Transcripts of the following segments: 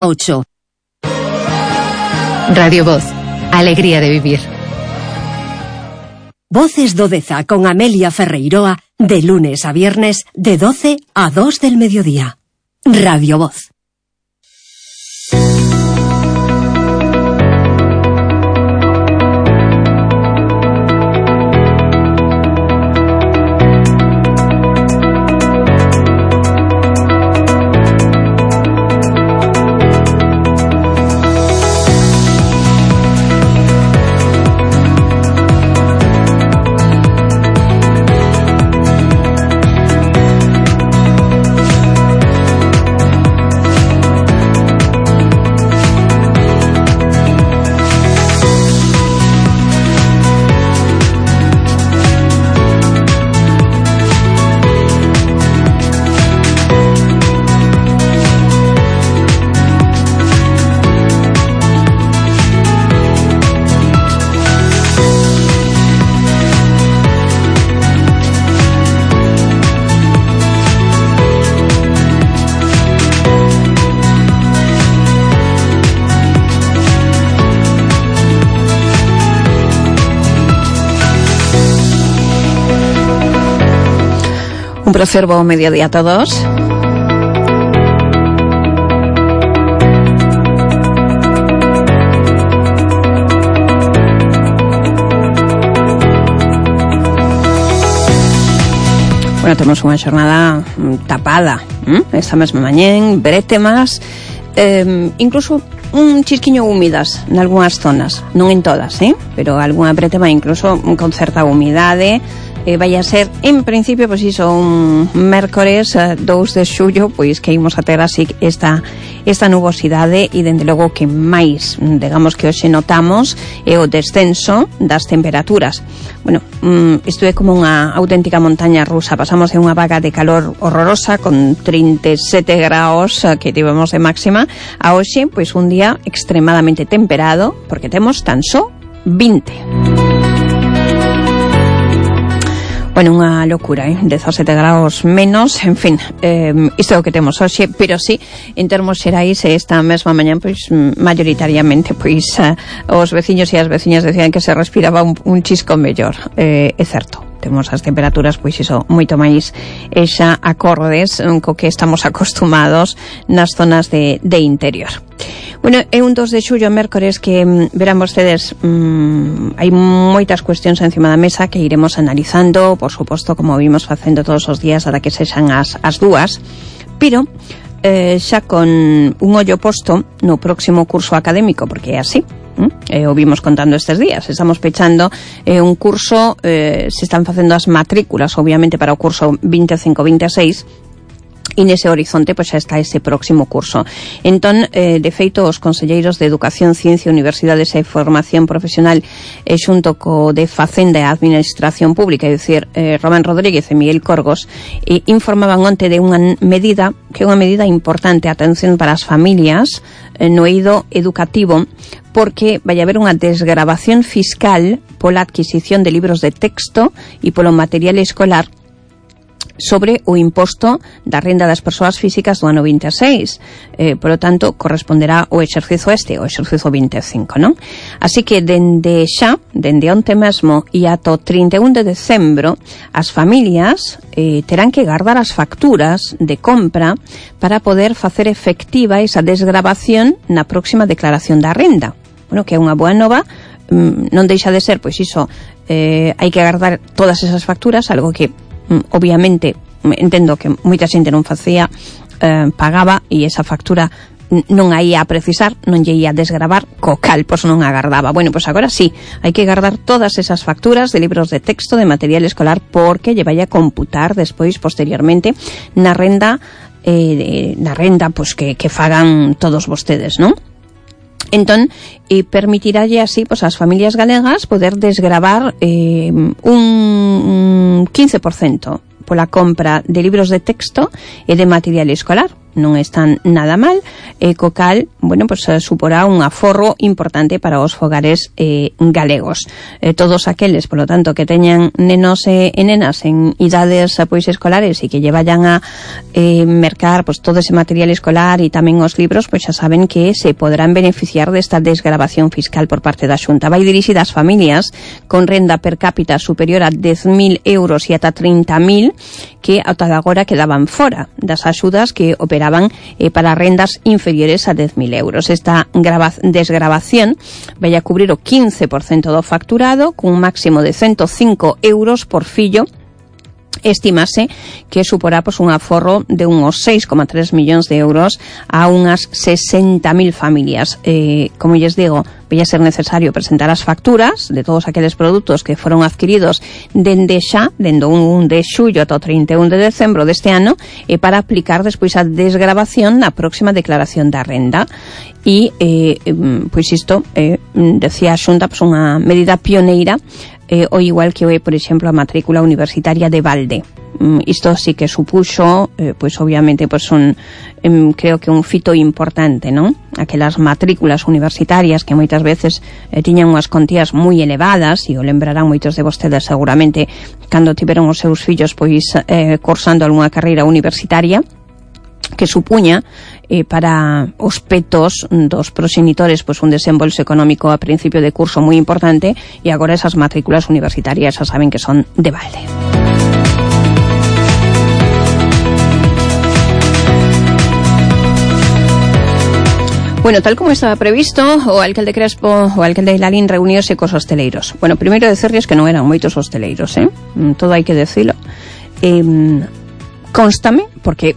8. Radio Voz, alegría de vivir. Voces do Deza con Amelia Ferreiroa, de lunes a viernes, de 12 a 2 del mediodía. Radio Voz. Un placer, buen mediodía a todos. Bueno, temos unha xornada tapada esta mesma mañén, bretemas, incluso un chisquiño húmidas en algunhas zonas, non en todas, pero algunha bretema incluso con certa humidade. Vai a ser, en principio, pois iso, un mércores 2 de xullo, pois que imos a ter así esta nubosidade, e dende logo que máis, digamos, que hoxe notamos é o descenso das temperaturas. Bueno, isto é como unha auténtica montaña rusa. Pasamos de unha vaga de calor horrorosa con 37 graus que tivemos de máxima a hoxe, pois un día extremadamente temperado, porque temos tan só 20. Bueno, unha locura, 17 graus menos, en fin, isto é o que temos hoxe, pero sí, en termos xerais, esta mesma mañán, pois, mayoritariamente, pois, os veciños e as veciñas decían que se respiraba un chisco mellor, é certo. Temos as temperaturas, pois iso, moito máis xa acordes co que estamos acostumados nas zonas de interior. Bueno, é un 2 de xullo, mércores, que verán vostedes, hai moitas cuestións encima da mesa que iremos analizando, por suposto, como vimos facendo todos os días ata que sexan as 2, pero xa con un ollo posto no próximo curso académico, porque é así. O vimos contando estes días, estamos pechando un curso, se están facendo as matrículas obviamente para o curso 25-26, e nese horizonte pois xa está ese próximo curso. Entón, de feito, os conselleiros de Educación, Ciencia, Universidades e Formación Profesional xunto co de Facenda e Administración Pública, é dicir, Román Rodríguez e Miguel Corgos, informaban onte de unha medida que é unha medida importante, atención, para as familias no eido educativo, porque vai haber unha desgravación fiscal pola adquisición de libros de texto e polo material escolar sobre o imposto da renda das persoas físicas do ano 26. Por lo tanto, corresponderá o exercizo o exercizo 25, non? Así que dende onte mesmo e ata o 31 de decembro, as familias terán que guardar as facturas de compra para poder facer efectiva esa desgravación na próxima declaración da renda. Bueno, que é unha boa nova, non deixa de ser, pois iso, hai que guardar todas esas facturas, algo que obviamente entendo que moita xente non facía, pagaba, e esa factura non a ia a precisar, non lle ia a desgravar, co cal, pois non a gardaba. Bueno, pois agora sí, hai que guardar todas esas facturas de libros de texto, de material escolar, porque lle vai a computar despois, posteriormente, na renda pois que fagan todos vostedes, non? Entón, permitirálle así, pois, ás familias galegas poder desgravar un 15% pola compra de libros de texto e de material escolar. non están nada mal, co cal, bueno, pues suporá un aforro importante para os fogares galegos. Todos aqueles, polo tanto, que teñan nenos e nenas en idades pois escolares e que lle vayan a mercar pois todo ese material escolar e tamén os libros, pois xa saben que se podrán beneficiar desta desgravación fiscal por parte da Xunta. Vai dirixida ás familias con renda per cápita superior a 10.000 euros e ata 30.000 que ata agora quedaban fora das axudas que operaban para rendas inferiores a 10.000 euros. Esta desgravación vai a cubrir o 15% do facturado cun máximo de 105 euros por fillo. Estimase que suporá pois, un aforro de uns 6,3 millóns de euros a unhas 60.000 familias. Como lles digo, vai a ser necesario presentar as facturas de todos aqueles produtos que foron adquiridos dende o 1 de xullo ata o 31 de decembro deste ano para aplicar despois a desgravación na próxima declaración da renda. E, pois isto, decía a Xunta, pois unha medida pioneira o igual que por exemplo, a matrícula universitaria de balde. Isto sí que supuxo, pois obviamente, pois creo que un fito importante, non? Aquelas matrículas universitarias que moitas veces tiñan unhas contías moi elevadas, e o lembrarán moitos de vostedes seguramente cando tiveron os seus fillos pois cursando algunha carreira universitaria, que supuña para os petos dos proxenitores pois un desembolso económico a principio de curso moi importante, e agora esas matrículas universitarias xa saben que son de balde. Bueno, tal como estaba previsto, o alcalde Crespo, o alcalde Lalín reunióse cos hosteleiros. Bueno, primeiro decirles que non eran moitos hosteleiros, todo hai que decirlo. Constame, porque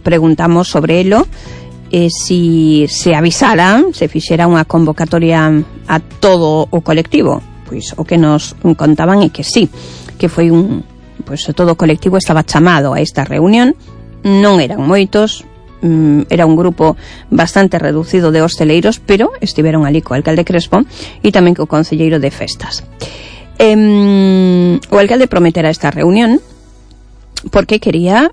preguntamos sobre elo, si se avisara, se fixera unha convocatoria a todo o colectivo. Pois o que nos contaban é que sí, que foi todo o colectivo estaba chamado a esta reunión. Non eran moitos, era un grupo bastante reducido de hosteleiros, pero estiveron ali co alcalde Crespo e tamén co concelleiro de festas. O alcalde prometera esta reunión porque quería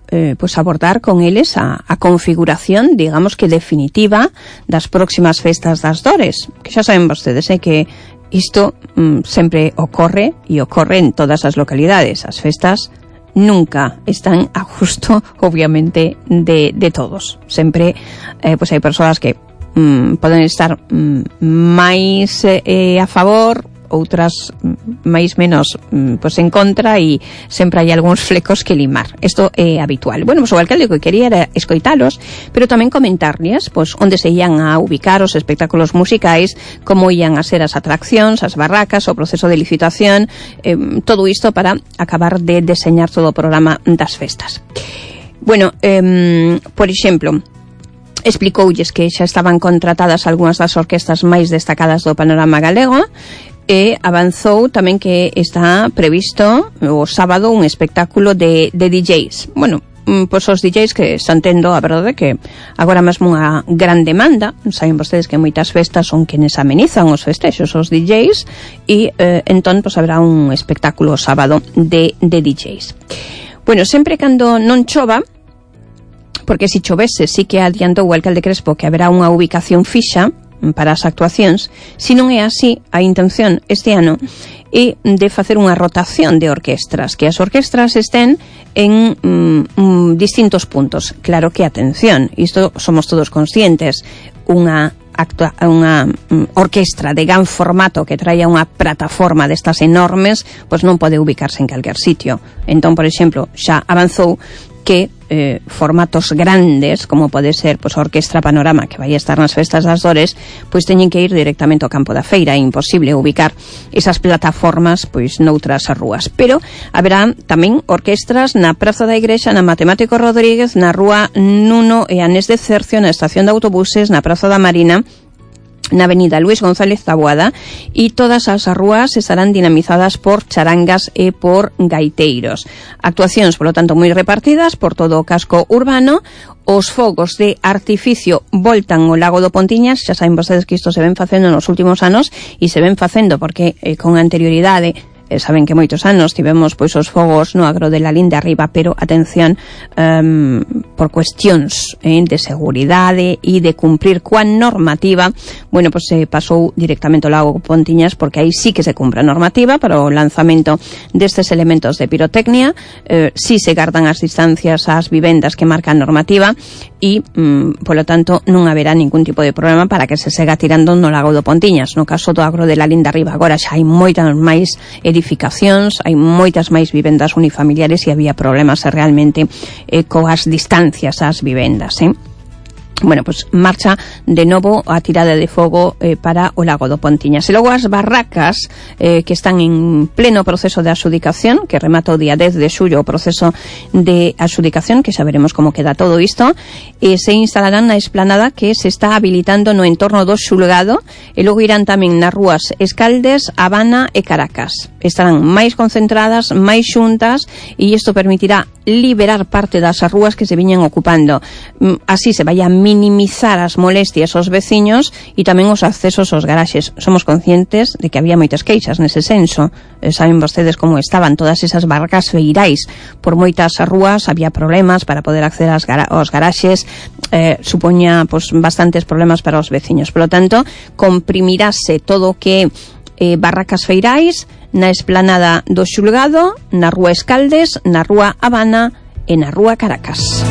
abordar con eles a configuración, digamos que definitiva, das próximas festas das Dores, que xa saben vostedes que isto sempre ocorre e ocorre en todas as localidades. As festas nunca están a gusto, obviamente, de todos. Sempre hai persoas que poden estar máis a favor, outras máis menos en contra, e sempre hai algúns flecos que limar. Isto é habitual. Bueno, o alcalde que quería era escoitalos, pero tamén comentarles onde se ian a ubicar os espectáculos musicais, como ian a ser as atraccións, as barracas, o proceso de licitación, todo isto para acabar de deseñar todo o programa das festas. Bueno, por exemplo, explicoulles que xa estaban contratadas algunhas das orquestas máis destacadas do panorama galego, e avanzou tamén que está previsto o sábado un espectáculo de DJs. Bueno, pois os DJs que están tendo, a verdade que agora mesmo unha gran demanda. Saben vostedes que moitas festas son quenes amenizan os festexos, os DJs, e entón haberá un espectáculo sábado de DJs. Bueno, sempre cando non chova, porque se chovese sí que adiantou o alcalde Crespo que haberá unha ubicación fixa para as actuacións. Se non é así, a intención este ano é de facer unha rotación de orquestras, que as orquestras estén en distintos puntos. Claro que, atención, isto somos todos conscientes, unha orquestra de gran formato que traia unha plataforma destas enormes, pois non pode ubicarse en calquer sitio. Entón, por exemplo, xa avanzou que formatos grandes, como pode ser a Orquestra Panorama, que vai estar nas festas das Dores, pois teñen que ir directamente ao campo da feira. É imposible ubicar esas plataformas noutras rúas. Pero haberá tamén orquestras na Praza da Igrexa, na Matemático Rodríguez, na Rúa Nuno e Anés de Cercio, na estación de autobuses, na Praza da Marina, na avenida Luis González Taboada, e todas as rúas estarán dinamizadas por charangas e por gaiteiros. Actuacións, polo tanto, moi repartidas por todo o casco urbano. Os fogos de artificio voltan ao Lago do Pontiñas. Xa saben vostedes que isto se ven facendo nos últimos anos, e se ven facendo porque con anterioridade saben que moitos anos tivemos pois os fogos no agro de Lalín de Arriba, pero atención, por cuestións de seguridade e de cumprir coa normativa, bueno, pois se pasou directamente ao lago Pontiñas, porque aí sí que se cumpre a normativa para o lanzamento destes elementos de pirotecnia, sí se gardan as distancias ás vivendas que marca a normativa e, polo tanto, non haberá ningún tipo de problema para que se sega tirando no lago do Pontiñas. No caso do agro de Lalín de Arriba, agora xa hai moitas máis edificacións, hai moitas máis vivendas unifamiliares e había problemas realmente coas distancias ás vivendas, Bueno, pues marcha de novo a tirada de fogo para o lago do Pontiñas. E logo as barracas que están en pleno proceso de adxudicación, que remata o día 10 de xullo o proceso de adxudicación, que xa veremos como queda todo isto, se instalarán na esplanada que se está habilitando no entorno do xulgado, e logo irán tamén nas rúas Escaldes, Habana e Caracas. Estarán máis concentradas, máis xuntas, e isto permitirá liberar parte das rúas que se viñan ocupando. Así se vai a minimizar as molestias aos veciños e tamén os accesos aos garaxes. Somos conscientes de que había moitas queixas nese senso. Saben vostedes como estaban todas esas barracas feirais. Por moitas rúas había problemas para poder acceder aos garaxes, supoña pues, bastantes problemas para os veciños. Por lo tanto, comprimirase todo o que barracas feirais na esplanada do xulgado, na rúa Escaldes, na rúa Habana e na rúa Caracas.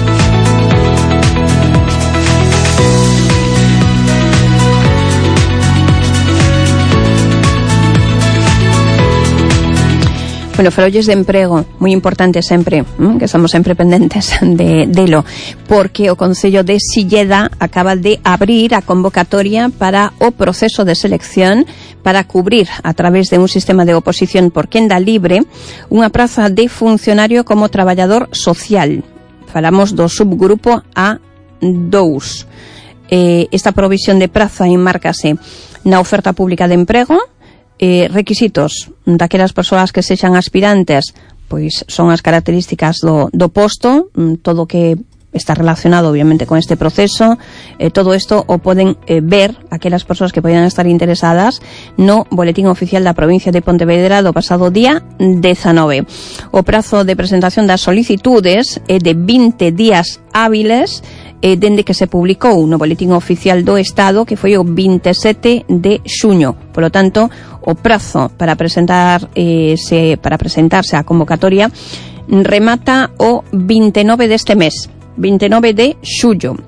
Bueno, farolles de emprego, moi importante sempre, que estamos sempre pendentes delo, porque o Concello de Silleda acaba de abrir a convocatoria para o proceso de selección para cubrir a través de un sistema de oposición por quenda libre unha praza de funcionario como traballador social. Falamos do subgrupo A2. Esta provisión de praza enmárcase na oferta pública de emprego. Requisitos daquelas persoas que sexan aspirantes, pois son as características do posto, todo que está relacionado obviamente con este proceso, todo isto o poden ver aquelas persoas que poden estar interesadas no Boletín Oficial da Provincia de Pontevedra do pasado día 19. O prazo de presentación das solicitudes é de 20 días hábiles dende que se publicou no Boletín Oficial do Estado, que foi o 27 de xuño. Por lo tanto, o prazo para presentarse á convocatoria remata o 29 deste mes, 29 de xullo.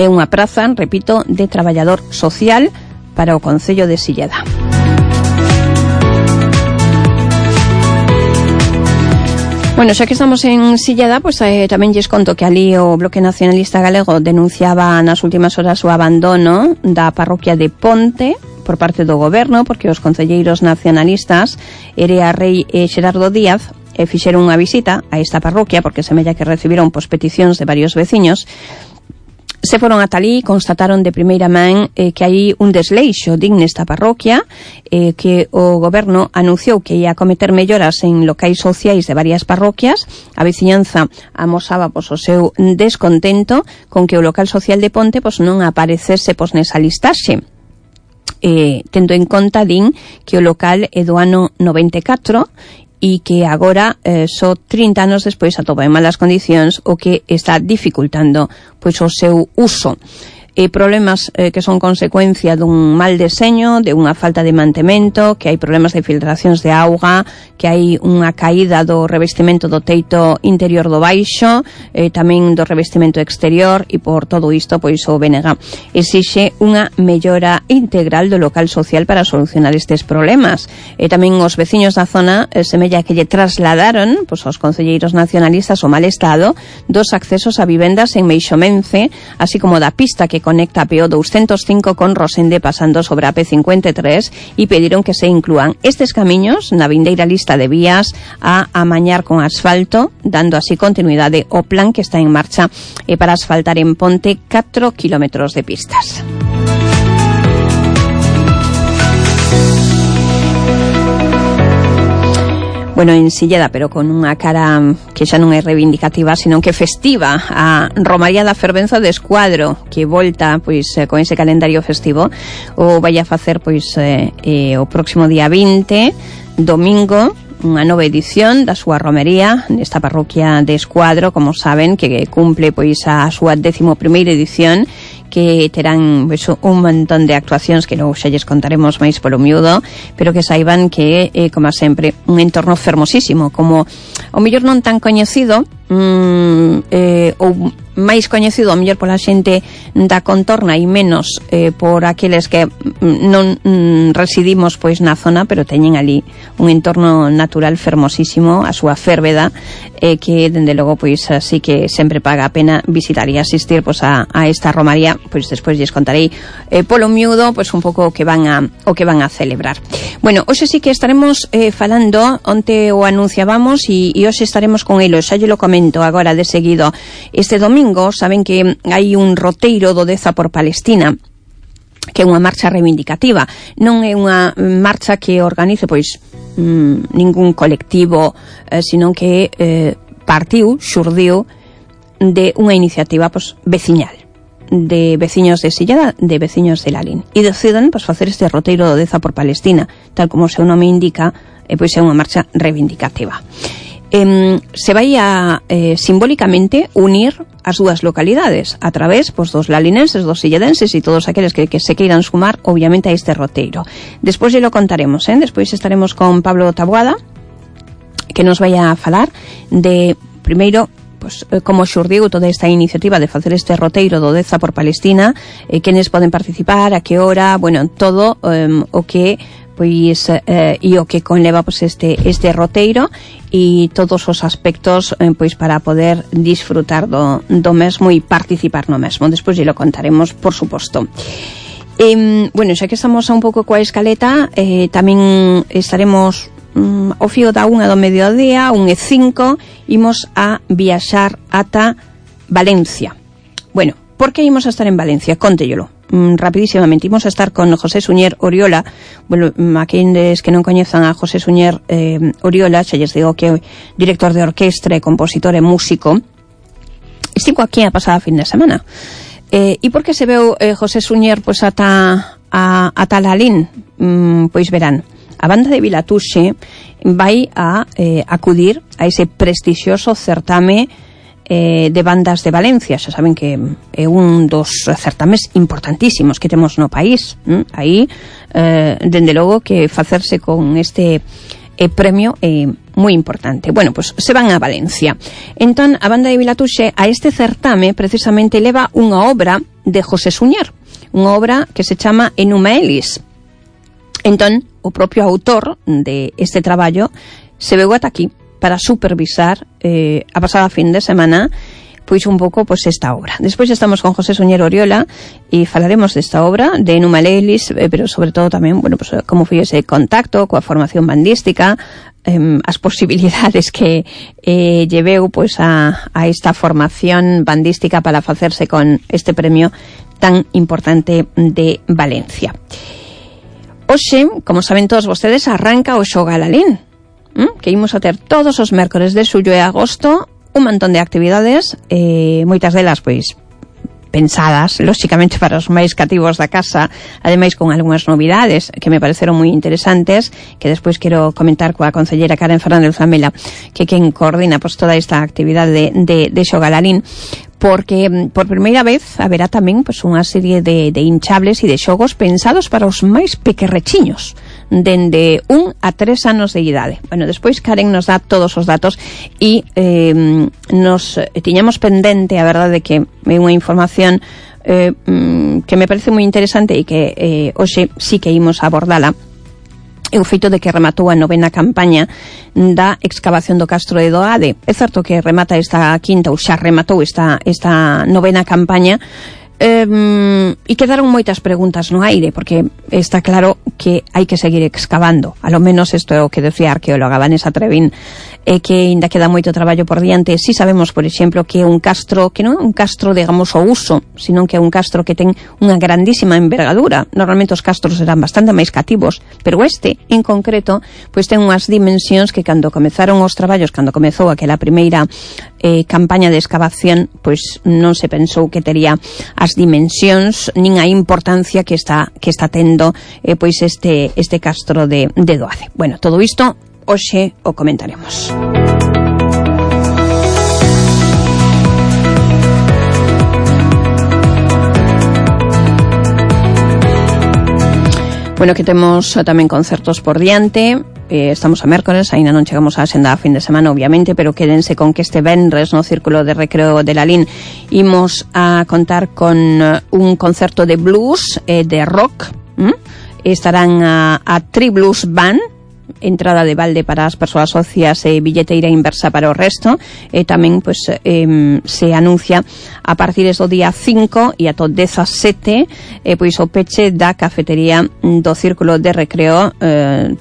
É unha praza, repito, de traballador social para o Concello de Silleda. Bueno, xa que estamos en Silleda, pues tamén lles conto que ali o Bloque Nacionalista Galego denunciaba nas últimas horas o abandono da parroquia de Ponte por parte do goberno, porque os concelleiros nacionalistas Erea Rei e Xerardo Díaz fixeron unha visita a esta parroquia, porque semella que recibiron peticións de varios veciños. Se foron ata ali e constataron de primeira man que hai un desleixo nesta parroquia, que o goberno anunciou que ia cometer melloras en locais sociais de varias parroquias. A veciñanza amosaba o seu descontento con que o local social de Ponte non aparecese nesa listaxe. Tendo en conta, din, que o local é do ano 94 e que agora, só 30 anos despois, atopa en malas condicións, o que está dificultando pois o seu uso. Problemas que son consecuencia dun mal deseño, de unha falta de mantemento, que hai problemas de filtracións de auga, que hai unha caída do revestimento do teito interior do baixo, tamén do revestimento exterior, e por todo isto, pois o BNG exixe unha mellora integral do local social para solucionar estes problemas. Tamén os veciños da zona semella que lle trasladaron pois aos concelleiros nacionalistas o mal estado dos accesos a vivendas en Meixomense, así como da pista que conecta a PO 205 con Rosende pasando sobre a P53, e pediron que se inclúan estes camiños na vindeira lista de vías a amañar con asfalto, dando así continuidade ao plan que está en marcha para asfaltar en Ponte 4 kilómetros de pistas. Bueno, en Silleda, pero con unha cara que xa non é reivindicativa, sino que festiva, a Romaría da Fervenza de Escuadro, que volta pois con ese calendario festivo, o vai a facer pois o próximo día 20 domingo unha nova edición da súa romería nesta parroquia de Escuadro, como saben, que cumple pois a súa 11ª edición, que terán pues, un montón de actuacións que logo xa lles contaremos máis polo miúdo, pero que saiban que, como sempre, un entorno fermosísimo, como o mellor non tan coñecido, ou máis coñecido o mellor pola xente da contorna e menos por aqueles que non residimos pois na zona, pero teñen ali un entorno natural fermosísimo, a súa Férveda, que dende logo pois así que sempre paga a pena visitar e asistir pois a esta romaría. Pois despois lles contarei polo miúdo pois un pouco o que van a celebrar. Bueno, hoxe sí que estaremos falando, onte o anunciábamos e hoxe estaremos con elo, xa lle lo comento agora de seguido. Este domingo saben que hai un roteiro do Deza por Palestina, que é unha marcha reivindicativa, non é unha marcha que organice pois ningún colectivo, sino que xurdiu de unha iniciativa pois veciñal, de veciños de Silleda, de veciños de Lalín, e decidan pois facer este roteiro do Deza por Palestina, tal como o seu nome indica, pois é unha marcha reivindicativa. Se vai a simbólicamente unir as dúas localidades a través pois, dos lalinenses, dos silledenses e todos aqueles que se queiran sumar obviamente a este roteiro. Despois lo contaremos, despois estaremos con Pablo Taboada, que nos vai a falar de, primeiro, pues, como xurdiu toda esta iniciativa de facer este roteiro do Deza por Palestina, quenes poden participar, a que hora, bueno, todo o que pois e o que conleva pois este roteiro e todos os aspectos pois para poder disfrutar do mesmo e participar no mesmo. Despois lo contaremos, por suposto. Bueno, xa que estamos un pouco coa escaleta, tamén estaremos ao fío da 1 do mediodía, 1:05, imos a viaxar ata Valencia. Bueno, por que imos a estar en Valencia? Cóntellelo rapidísimamente. Imos a estar con José Suñer Oriola. Bueno, aqueles que non coñezan a José Suñer Oriola, xa lles digo que é director de orquestra, compositor e músico. Estivo aquí a pasada fin de semana. E por que se veu José Suñer pois ata Lalín? Pois verán, a banda de Vilatuxe vai a acudir a ese prestixioso certame de bandas de Valencia. Xa saben que é un dos certames importantísimos que temos no país. Aí, dende logo que facerse con este premio é moi importante. Bueno, pues se van a Valencia. Entón, a banda de Vilatuxe a este certame precisamente leva unha obra de José Suñer, unha obra que se chama Enuma Elis. Entón, o propio autor de este traballo se veu ata aquí para supervisar a pasada fin de semana pois un pouco pois esta obra. Despois estamos con José Suñer Oriola e falaremos desta obra de Enuma Elis, pero sobre todo tamén, bueno, pues como foi ese contacto coa formación bandística, as posibilidades que lleveu pois a esta formación bandística para facerse con este premio tan importante de Valencia. Hoxe, como saben todos vostedes, arranca o Xoga Lalín, que imos a ter todos os mércores de xullo e agosto un montón de actividades, moitas delas pois pensadas, lóxicamente para os máis cativos da casa, ademais con algunhas novidades que me pareceron moi interesantes, que despois quero comentar coa concelleira Karen Fernández Zamela, que quen coordina pois toda esta actividade de Xoga Lalín, porque por primeira vez haberá tamén pois unha serie de hinchables e de xogos pensados para os máis pequerrechiños, dende 1 a 3 anos de idade. Bueno, despois Karen nos dá todos os datos e nos tiñamos pendente, a verdade, que é unha información que me parece moi interesante e que hoxe sí que imos abordala. É o feito de que rematou a 9ª campaña da excavación do Castro de Doade. É certo que remata esta quinta, ou xa rematou esta 9ª campaña, e quedaron moitas preguntas no aire, porque está claro que hai que seguir excavando. A lo menos isto é o que decía a arqueóloga Vanessa Trevín, que ainda queda moito traballo por diante. Si sabemos, por exemplo, que é un castro que non é un castro, digamos, ao uso, sino que é un castro que ten unha grandísima envergadura. Normalmente os castros eran bastante máis cativos, pero este, en concreto, pois ten unhas dimensións que cando comezaron os traballos, cando comezou aquela primeira campaña de excavación, pois non se pensou que tería as dimensións nin a importancia que está tendo pois este castro de Doade. Bueno, todo isto hoxe o comentaremos. Bueno, que temos tamén concertos por diante. Estamos a mércores, aínda non chegamos á xenda a fin de semana, obviamente, pero quédense con que este venres no Círculo de Recreo de Lalín imos a contar con un concerto de blues, de rock. Estarán a Tri Blues Band, entrada de balde para as persoas socias e billeteira inversa para o resto. Tamén pois se anuncia a partir do día 5 e ata o 17 pois o peche da cafetería do Círculo de Recreo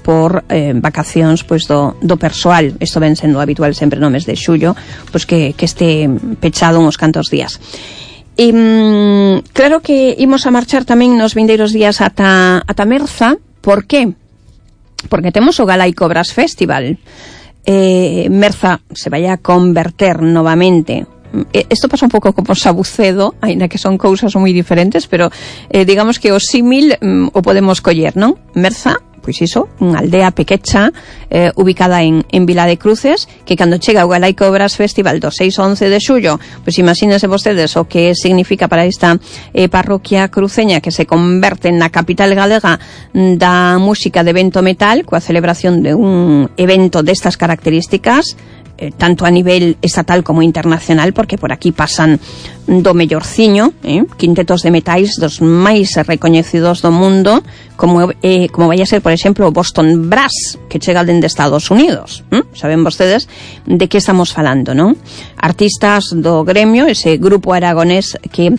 por vacacións pois do persoal. Isto ven sendo habitual sempre no mes de xullo, pois que este pechado uns cantos días. Claro que imos a marchar tamén nos vindeiros días ata Merza. Por que? Porque temos o Galaico Brass Festival. Merza se vai a converter novamente. Isto pasa un pouco como Sabucedo, aínda que son cousas moi diferentes, pero digamos que o símil o podemos coller, non? Merza, pois iso, unha aldea pequecha ubicada en Vila de Cruces, que cando chega o Galaico Brass Festival do 6 ao 11 de xullo, pois imagínense vostedes o que significa para esta parroquia cruceña, que se converte na capital galega da música de vento metal, coa celebración de un evento destas características, tanto a nivel estatal como internacional, porque por aquí pasan do mellorciño, quintetos de metais dos máis recoñecidos do mundo, como vai a ser, por exemplo, o Boston Brass, que chega dende Estados Unidos. Saben vostedes de que estamos falando, non? Artistas do gremio, ese grupo aragonés que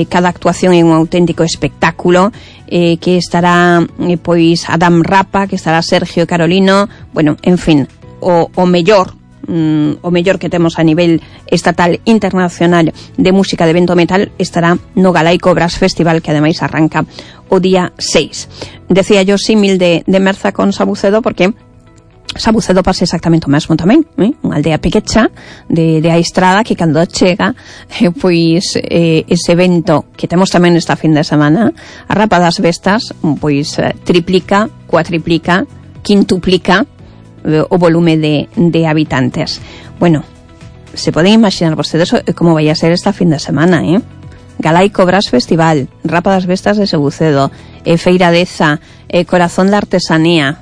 cada actuación é un auténtico espectáculo, que estará pois Adam Rapa, que estará Sergio Carolino, bueno, en fin, o mellor que temos a nivel estatal internacional de música de vento metal estará no Galaico Brass Festival, que ademais arranca o día 6. Decía yo símil de Merza con Sabucedo, porque Sabucedo pasa exactamente o mesmo tamén, unha aldea pequecha de a Estrada, que cando chega pois ese evento que temos tamén esta fin de semana, a Rapa das Vestas, pois triplica, cuatriplica, quintuplica o volume de habitantes. Bueno, se poden imaginar vostedes como vai a ser esta fin de semana, Galaico Brass Festival, Rapa das Vestas de Sabucedo, Feira Deza, Corazón da Artesanía.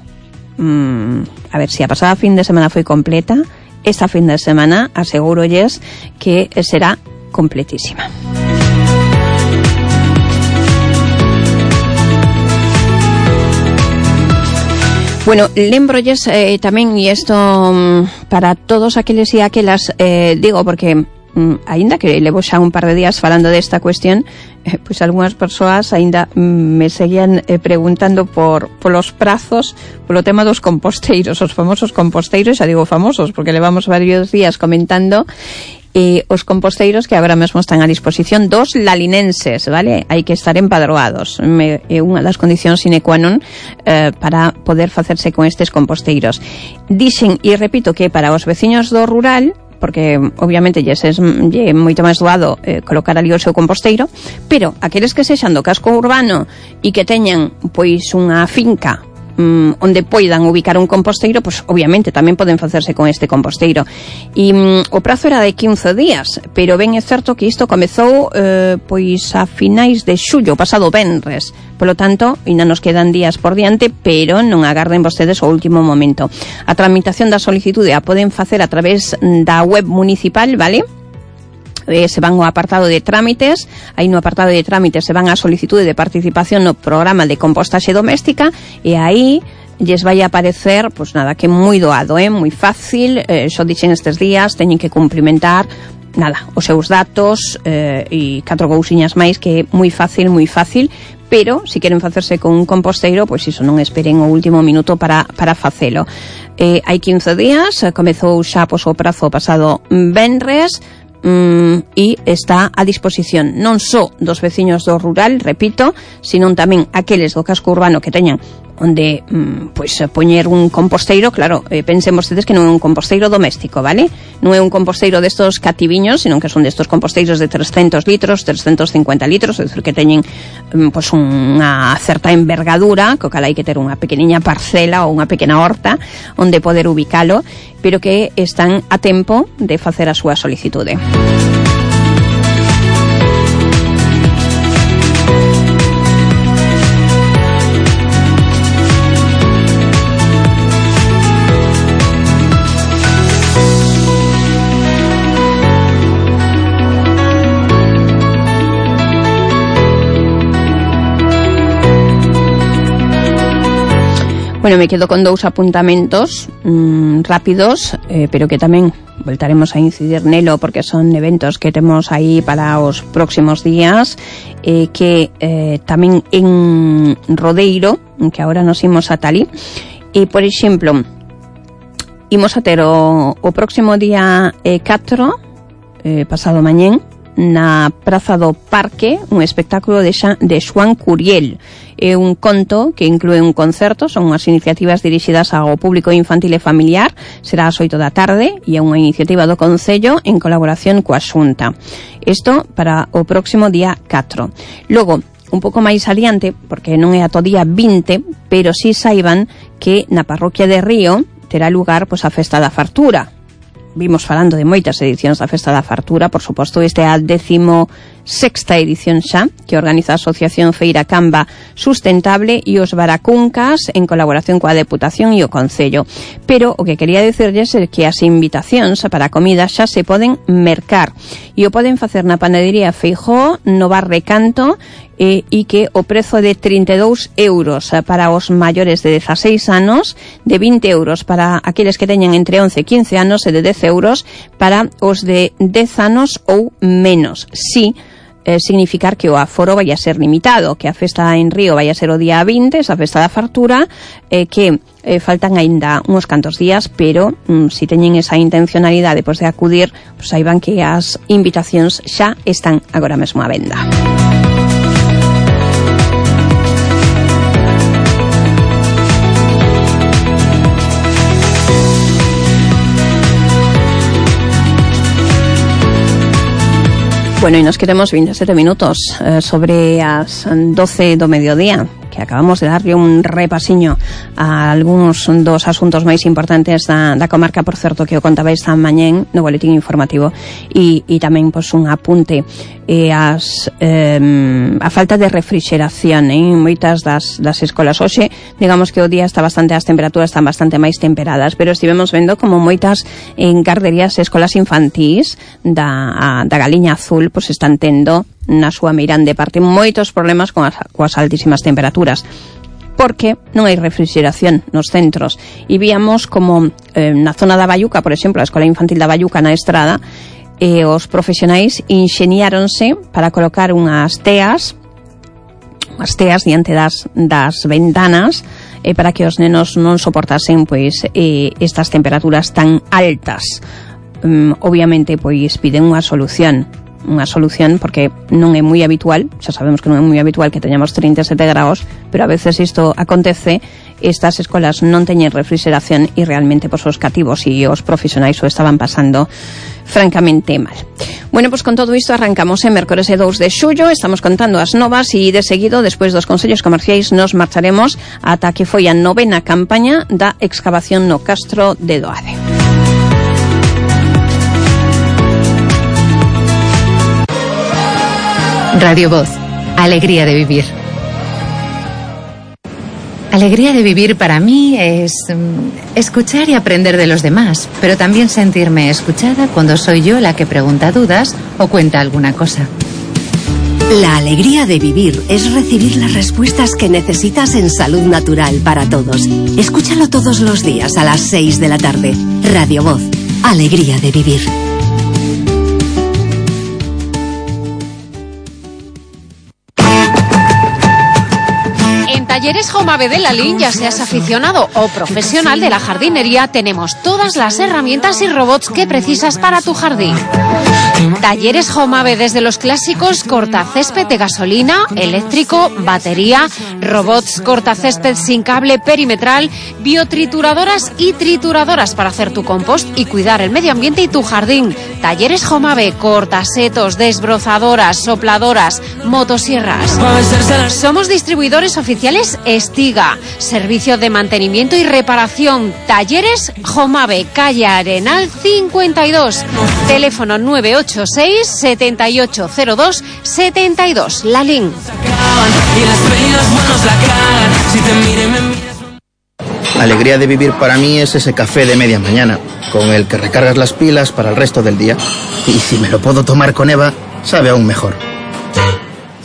A ver, si a pasada fin de semana foi completa, esta fin de semana asegurolles que será completísima. Bueno, lembrolles tamén, e isto para todos aqueles e aquelas, digo, porque aínda que levo xa un par de días falando desta cuestión, pois algunhas persoas aínda me seguían preguntando polos prazos, polo tema dos composteiros, os famosos composteiros. Xa digo famosos porque levamos varios días comentando os composteiros que agora mesmo están a disposición dos lalinenses, vale? Hai que estar empadroados, é unha das condicións sine qua non para poder facerse con estes composteiros. Dixen, e repito, que para os veciños do rural, porque obviamente lle é moito máis doado colocar ali o seu composteiro, pero aqueles que sexan do casco urbano e que teñan pois unha finca onde poidan ubicar un composteiro, pois obviamente tamén poden facerse con este composteiro. E o prazo era de 15 días, pero ben é certo que isto comezou pois a finais de xullo, pasado venres. Polo tanto, ainda nos quedan días por diante, pero non agarden vostedes o último momento. A tramitación da solicitude a poden facer a través da web municipal, vale? Se van ao apartado de trámites, aí no apartado de trámites se van a solicitude de participación no programa de compostaxe doméstica, e aí lles vai a aparecer, pois nada, que moi doado, moi fácil, xo dixen estes días, teñen que cumplimentar nada, os seus datos e 4 cousiñas máis, que é moi fácil, pero se queren facerse con un composteiro, pois iso, non esperen o último minuto para facelo. Hai 15 días, comezou xa pois o prazo pasado venres, e está a disposición non só dos veciños do rural, repito, sino tamén aqueles do casco urbano que teñan onde pois poñer un composteiro, claro, pensen vostedes que non é un composteiro doméstico, vale? Non é un composteiro destos cativiños, senón que son destos composteiros de 300 litros, 350 litros, é dicir, que teñen pois unha certa envergadura, co cal hai que ter unha pequeniña parcela ou unha pequena horta onde poder ubicalo, pero que están a tempo de facer a súa solicitude. Bueno, me quedo con 2 apuntamentos rápidos, pero que tamén voltaremos a incidir nelo porque son eventos que temos aí para os próximos días, que tamén en Rodeiro, que agora nos imos a Talí, e, por exemplo, imos a ter o próximo día 4, pasado mañén, na Praza do Parque, un espectáculo de Xoán Curiel. É un conto que inclúe un concerto, son unhas iniciativas dirixidas ao público infantil e familiar, será ás 8 da tarde e é unha iniciativa do Concello en colaboración coa Xunta. Isto para o próximo día 4. Logo, un pouco máis adiante, porque non é ata o día 20, pero si saiban que na parroquia de Río terá lugar pois a Festa da Fartura. Vimos falando de moitas edicións da Festa da Fartura, por suposto, este é a 16ª edición xa, que organiza a Asociación Feira Camba Sustentable e os Baracuncas en colaboración coa Deputación e o Concello. Pero o que quería dicirlles é que as invitacións para a comida xa se poden mercar e o poden facer na panadería Feijóo, no bar Recanto, e que o prezo de 32 euros para os maiores de 16 anos, de 20 euros para aqueles que teñen entre 11 e 15 anos e de 10 euros para os de 10 anos ou menos. Sí, significar que o aforo vai a ser limitado, que a festa en Río vai a ser o día 20, esa festa da fartura, que faltan aínda uns cantos días, pero si teñen esa intencionalidade pois de acudir, pois saiban que as invitacións xa están agora mesmo á venda. Bueno, e nos quedamos 27 minutos sobre as 12 do mediodía, que acabamos de darlle un repasiño a algúns dos asuntos máis importantes da comarca, por certo, que o contaba esta mañén no boletín informativo, e tamén pois un apunte a falta de refrixeración en moitas das escolas. Hoxe, digamos que o día está bastante, as temperaturas están bastante máis temperadas, pero estivemos vendo como moitas garderías e escolas infantís da Galiña Azul pois están tendo na súa meirande parte moitos problemas coas altísimas temperaturas, porque non hai refrigeración nos centros. E víamos como na zona da Bayuca, por exemplo, a Escola Infantil da Bayuca na Estrada, os profesionais ingeniáronse para colocar unhas teas diante das ventanas para que os nenos non soportasen pois estas temperaturas tan altas. Obviamente pois piden unha solución porque non é moi habitual, xa sabemos que non é moi habitual que teñamos 37 graus, pero a veces isto acontece, estas escolas non teñen refrigeración e realmente pois os cativos e os profesionais o estaban pasando francamente mal. Bueno, pois con todo isto arrancamos en mércores 2 de xullo, estamos contando as novas e de seguido, despois dos consellos comerciais, nos marcharemos ata que foi a 9ª campaña da excavación no Castro de Doade. Radio Voz, alegría de vivir. Alegría de vivir para mí es escuchar y aprender de los demás, pero también sentirme escuchada cuando soy yo la que pregunta dudas o cuenta alguna cosa. La alegría de vivir es recibir las respuestas que necesitas en Salud Natural para Todos. Escúchalo todos los días a las 6 de la tarde. Radio Voz, alegría de vivir. Talleres Jaume de Lalín, ya seas aficionado o profesional de la jardinería, tenemos todas las herramientas y robots que precisas para tu jardín. Talleres Jomave, desde los clásicos cortacésped de gasolina, eléctrico, batería, robots cortacésped sin cable perimetral, biotrituradoras y trituradoras para hacer tu compost y cuidar el medio ambiente y tu jardín. Talleres Jomave, cortasetos, desbrozadoras, sopladoras, motosierras. Somos distribuidores oficiales Estiga, servicio de mantenimiento y reparación. Talleres Jomave, calle Arenal 52, teléfono 986 7802 72. Lalín. La alegría de vivir para mí es ese café de media mañana, con el que recargas las pilas para el resto del día. Y si me lo puedo tomar con Eva, sabe aún mejor.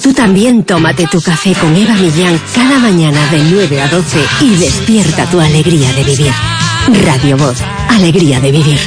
Tú también tómate tu café con Eva Millán cada mañana de 9 a 12 y despierta tu alegría de vivir. Radio Voz, alegría de vivir.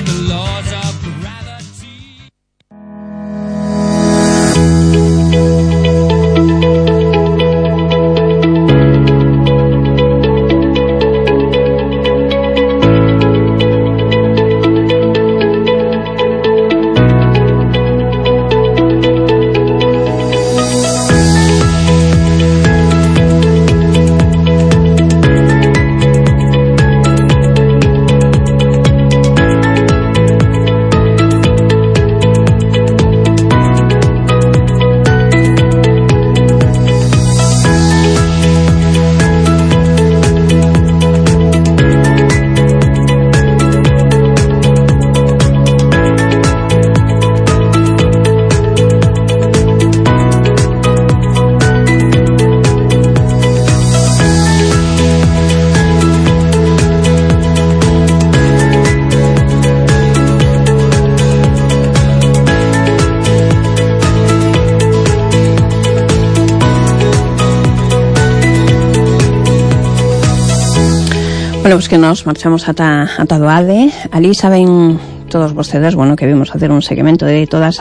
Bueno, pues que nos marchamos ata Doade. Ali saben todos vostedes, bueno, que vimos hacer un seguimento de todas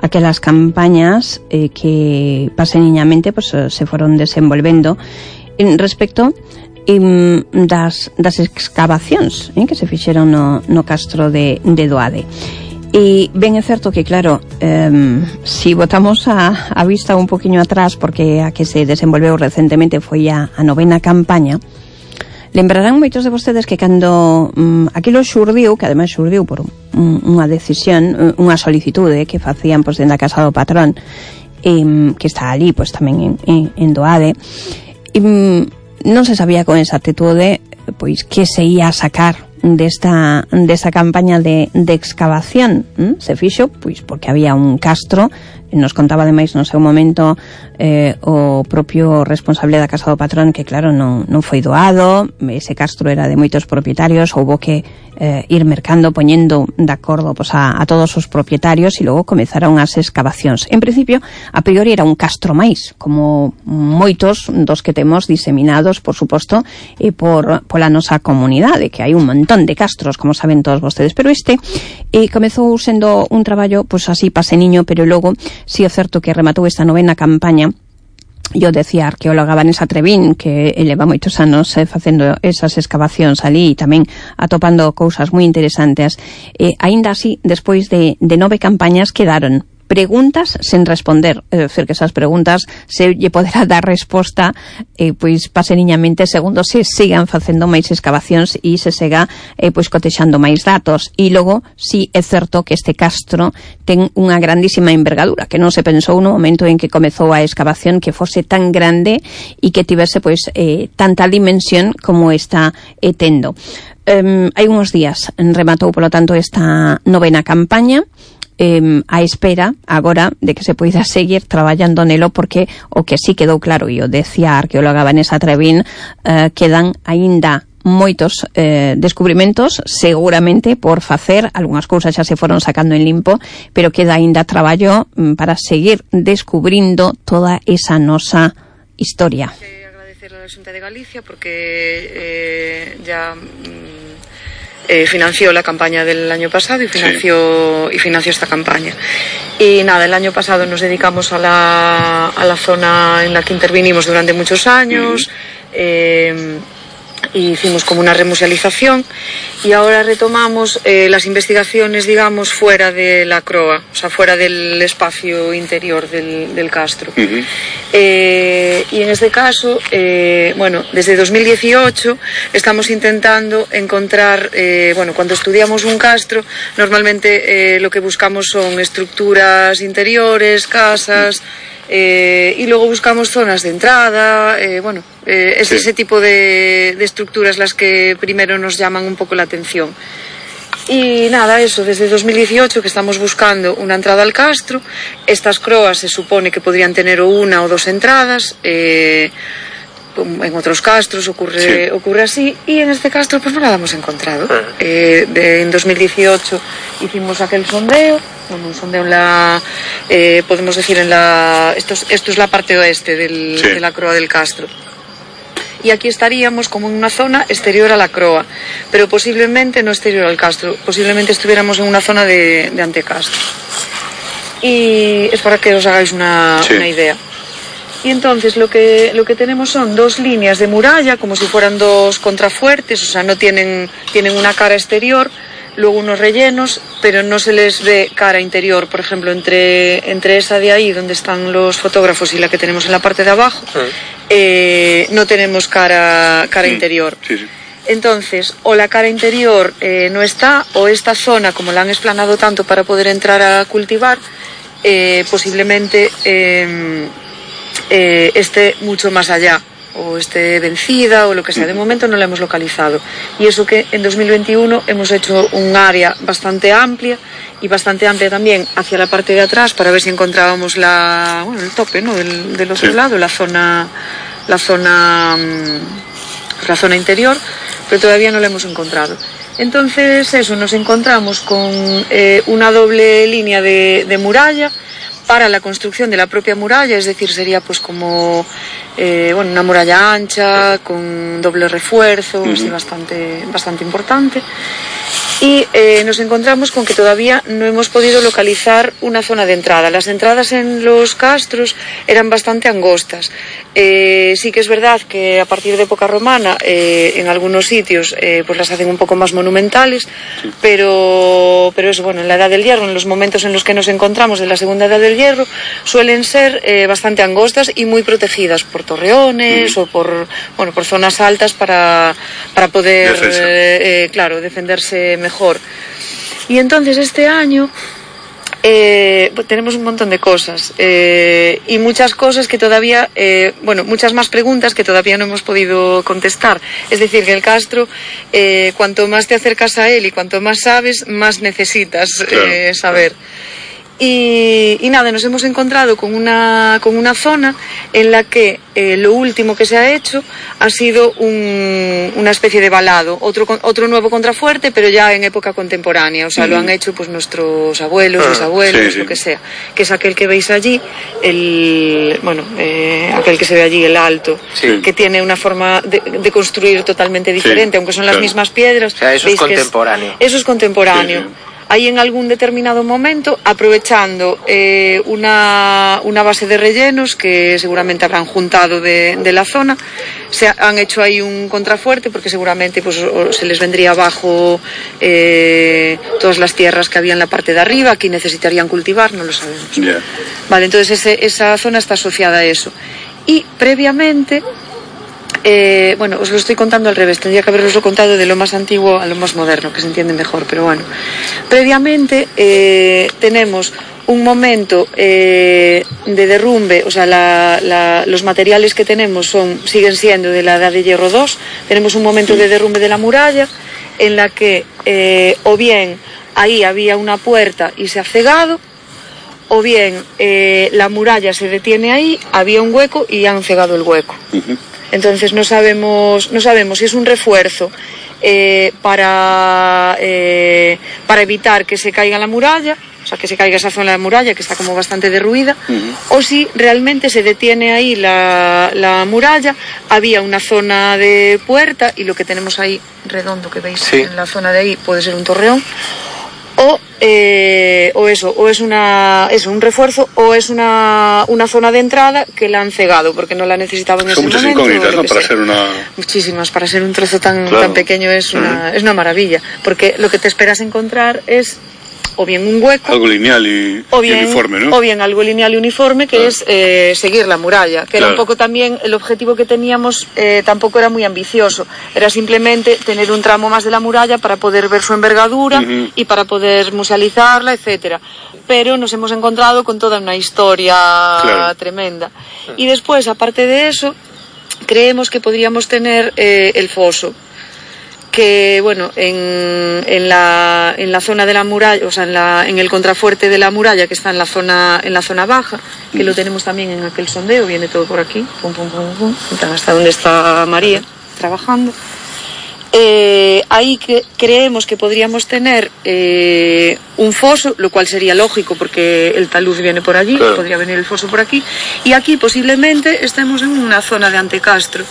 aquelas campañas que paseniñamente pues se foron desenvolvendo respecto das excavacións que se fixeron no castro de Doade. E ben é certo que, claro, si botamos a vista un poquinho atrás, porque a que se desenvolveu recentemente foi a 9ª campaña, lembrarán moitos de vostedes que cando aquilo xurdiu, que ademais xurdiu por unha decisión, unha solicitude que facían pois dentro da casa do patrón, que está ali pois tamén en Doade, non se sabía con exactitude pois que se ia a sacar desta campaña de excavación. Se fixo pois porque había un castro. Nos contaba ademais no seu momento o propio responsable da casa do patrón que claro non foi doado, ese castro era de moitos propietarios, houbo que ir mercando, poñendo de acordo pois, a todos os propietarios, e logo comezaron as excavacións. En principio, a priori era un castro máis, como moitos dos que temos diseminados, por suposto, pola nosa comunidade, que hai un montón de castros, como saben todos vostedes, pero comezou sendo un traballo pois así paseniño, pero logo si é certo que rematou esta 9ª campaña. Eu decía a arqueóloga Vanessa Trevín que leva moitos anos facendo esas excavacións ali e tamén atopando cousas moi interesantes. Aínda así, despois de 9 campañas quedaron preguntas sen responder, é dicir, que esas preguntas se lle poderá dar resposta pois paseniñamente segundo se sigan facendo máis excavacións e se sega pois cotexando máis datos. E logo, si é certo que este castro ten unha grandísima envergadura, que non se pensou no momento en que comezou a excavación que fose tan grande e que tivese pois tanta dimensión como está tendo. Hai uns días rematou, polo tanto, esta 9ª campaña, a espera agora de que se poida seguir traballando nelo, porque o que sí quedou claro, e o decía a arqueóloga Vanessa Trevín, quedan aínda moitos descubrimentos seguramente por facer, algunhas cousas xa se foron sacando en limpo, pero queda aínda traballo para seguir descubrindo toda esa nosa historia. Agradecerle a la Xunta de Galicia porque ya financió la campaña del año pasado y financió esta campaña. Y nada, el año pasado nos dedicamos a la zona en la que intervinimos durante muchos años. hicimos como una remusealización y ahora retomamos las investigaciones, digamos, fuera de la croa, o sea, fuera del espacio interior del castro. Y en este caso, bueno, desde 2018 estamos intentando encontrar, bueno, cuando estudiamos un castro, normalmente lo que buscamos son estructuras interiores, casas, y luego buscamos zonas de entrada, bueno, es ese tipo de estructuras las que primero nos llaman un poco la atención. Y nada, eso, desde 2018 que estamos buscando una entrada al castro. Estas croas se supone que podrían tener o una o dos entradas, en otros castros ocurre así, y en este castro pues no la hemos encontrado. En 2018 hicimos aquel sondeo, bueno, un sondeo en la, podemos decir en la, esto es la parte oeste de la croa del castro. Y aquí estaríamos como en una zona exterior a la croa, pero posiblemente no exterior al castro, posiblemente estuviéramos en una zona de antecastro. Y es para que os hagáis una idea. Y entonces lo que tenemos son dos líneas de muralla, como si fueran dos contrafuertes, o sea, no tienen una cara exterior, luego unos rellenos, pero no se les ve cara interior. Por ejemplo, entre esa de ahí, donde están los fotógrafos, y la que tenemos en la parte de abajo, no tenemos cara interior. Entonces, o la cara interior no está, o esta zona, como la han explanado tanto para poder entrar a cultivar, posiblemente esté mucho más allá, o esté vencida, o lo que sea. De momento no la hemos localizado. Y eso que en 2021 hemos hecho un área bastante amplia, y bastante amplia también hacia la parte de atrás, para ver si encontrábamos el tope, ¿no?, del otro lado, la zona interior, pero todavía no la hemos encontrado. Entonces eso, nos encontramos con una doble línea de muralla para la construcción de la propia muralla, es decir, sería pues como una muralla ancha con doble refuerzo, así bastante importante. Y nos encontramos con que todavía no hemos podido localizar una zona de entrada. Las entradas en los castros eran bastante angostas. Sí que es verdad que a partir de época romana en algunos sitios pues las hacen un poco más monumentales, pero eso, bueno, en la Edad del Hierro, en los momentos en los que nos encontramos de la Segunda Edad del Hierro, suelen ser bastante angostas y muy protegidas por torreones o por zonas altas para poder defenderse mejor. Y entonces este año tenemos un montón de cosas y muchas cosas que todavía, muchas más preguntas que todavía no hemos podido contestar. Es decir, que el castro, cuanto más te acercas a él y cuanto más sabes, más necesitas saber. Y nada, nos hemos encontrado con una zona en la que lo último que se ha hecho ha sido una especie de valado, otro nuevo contrafuerte, pero ya en época contemporánea. O sea, lo han hecho pues nuestros abuelos, bisabuelos, lo que sea, que es aquel que veis allí, aquel que se ve allí, el alto, que tiene una forma de construir totalmente diferente, aunque son las mismas piedras. O sea, eso es contemporáneo. Eso es contemporáneo. Ahí en algún determinado momento, aprovechando una base de rellenos que seguramente habrán juntado de la zona, se han hecho ahí un contrafuerte, porque seguramente pues se les vendría abajo todas las tierras que había en la parte de arriba. Aquí necesitarían cultivar, no lo sabemos. Vale, entonces esa zona está asociada a eso. Y previamente, os lo estoy contando al revés, tendría que haberoslo contado de lo más antiguo a lo más moderno, que se entiende mejor, pero bueno. Previamente tenemos un momento de derrumbe, o sea, los materiales que tenemos siguen siendo de la Edad de Hierro II. Tenemos un momento de derrumbe de la muralla, en la que o bien ahí había una puerta y se ha cegado, o bien la muralla se detiene ahí, había un hueco y han cegado el hueco. Entonces no sabemos si es un refuerzo para evitar que se caiga la muralla, o sea, que se caiga esa zona de la muralla que está como bastante derruida, o si realmente se detiene ahí la muralla, había una zona de puerta, y lo que tenemos ahí redondo que veis en la zona de ahí puede ser un torreón, o es un refuerzo o es una zona de entrada que la han cegado porque no la necesitaban en ese momento. Son muchas incógnitas, ¿no? Para ser muchísimas, para ser un trozo tan pequeño es una maravilla, porque lo que te esperas encontrar es o bien un hueco, algo lineal y uniforme, ¿no? O bien algo lineal y uniforme, que es seguir la muralla, que era un poco también el objetivo que teníamos. Tampoco era muy ambicioso, era simplemente tener un tramo más de la muralla para poder ver su envergadura y para poder musealizarla, etcétera. Pero nos hemos encontrado con toda una historia tremenda. Y después, aparte de eso, creemos que podríamos tener el foso, que bueno, en la zona de la muralla, o sea, en el contrafuerte de la muralla, que está en la zona baja, que lo tenemos también en aquel sondeo, viene todo por aquí, hasta donde está María trabajando. Ahí creemos que podríamos tener un foso, lo cual sería lógico porque el talud viene por allí, podría venir el foso por aquí, y aquí posiblemente estemos en una zona de antecastro.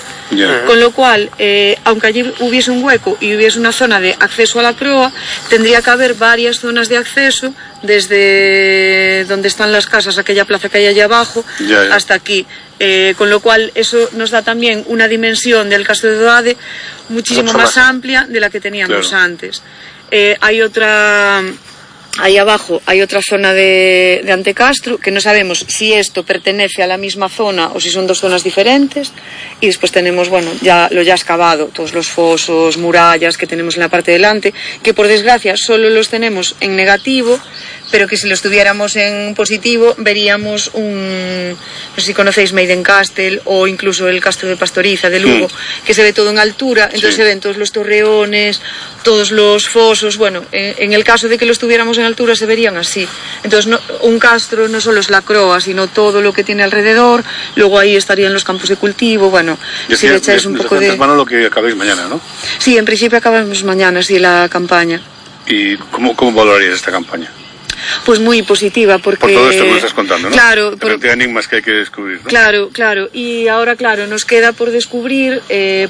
Con lo cual, aunque allí hubiese un hueco y hubiese una zona de acceso a la croa, tendría que haber varias zonas de acceso desde donde están las casas, aquella plaza que hay allá abajo, hasta aquí. Con lo cual eso nos da también una dimensión del Castro de Doade muchísimo más amplia de la que teníamos antes. Ahí abajo hay otra zona de antecastro, que no sabemos si esto pertenece a la misma zona o si son dos zonas diferentes. Y después tenemos, bueno, ya excavado, todos los fosos, murallas que tenemos en la parte delante, que por desgracia solo los tenemos en negativo, pero que si los tuviéramos en positivo veríamos no sé si conocéis Maiden Castle o incluso el Castro de Pastoriza de Lugo, que se ve todo en altura, entonces se ven todos los torreones, todos los fosos. Bueno, en el caso de que los tuviéramos en altura se verían así. Entonces un castro no solo es la croa, sino todo lo que tiene alrededor. Luego ahí estarían los campos de cultivo. Bueno, si le echáis un poco de mano lo que acabéis mañana, ¿no? Sí, en principio acabamos mañana, sí, la campaña. ¿Y cómo valorarías esta campaña? Pues muy positiva, porque... Por todo esto que nos estás contando, ¿no? Claro. Por enigmas que hay que descubrir, ¿no? Claro. Y ahora, nos queda por descubrir,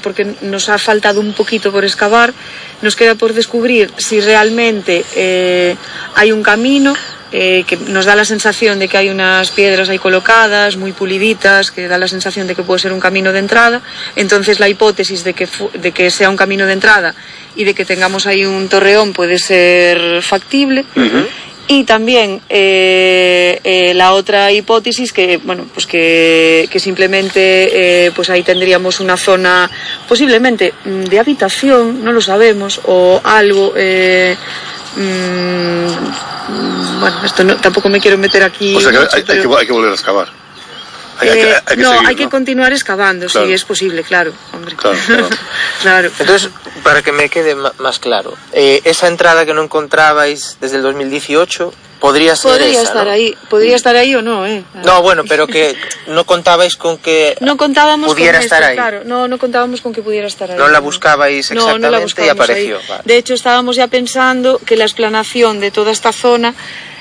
porque nos ha faltado un poquito por excavar, nos queda por descubrir si realmente hay un camino, que nos da la sensación de que hay unas piedras ahí colocadas, muy puliditas, que da la sensación de que puede ser un camino de entrada. Entonces la hipótesis de que sea un camino de entrada y de que tengamos ahí un torreón puede ser factible. Y también la otra hipótesis que simplemente pues ahí tendríamos una zona posiblemente de habitación, no lo sabemos, o algo. Bueno, esto tampoco me quiero meter aquí. O sea que hay que volver a excavar. Hay que continuar excavando, si es posible, claro, hombre. Claro. Entonces, para que me quede más claro, esa entrada que no encontrabais desde el 2018 podría estar ahí o no, No, bueno, pero que no contabais con que pudiera estar ahí. Claro, no contábamos con que pudiera estar ahí. No la buscabais exactamente, no la buscábamos, y apareció. Vale. De hecho, estábamos ya pensando que la explanación de toda esta zona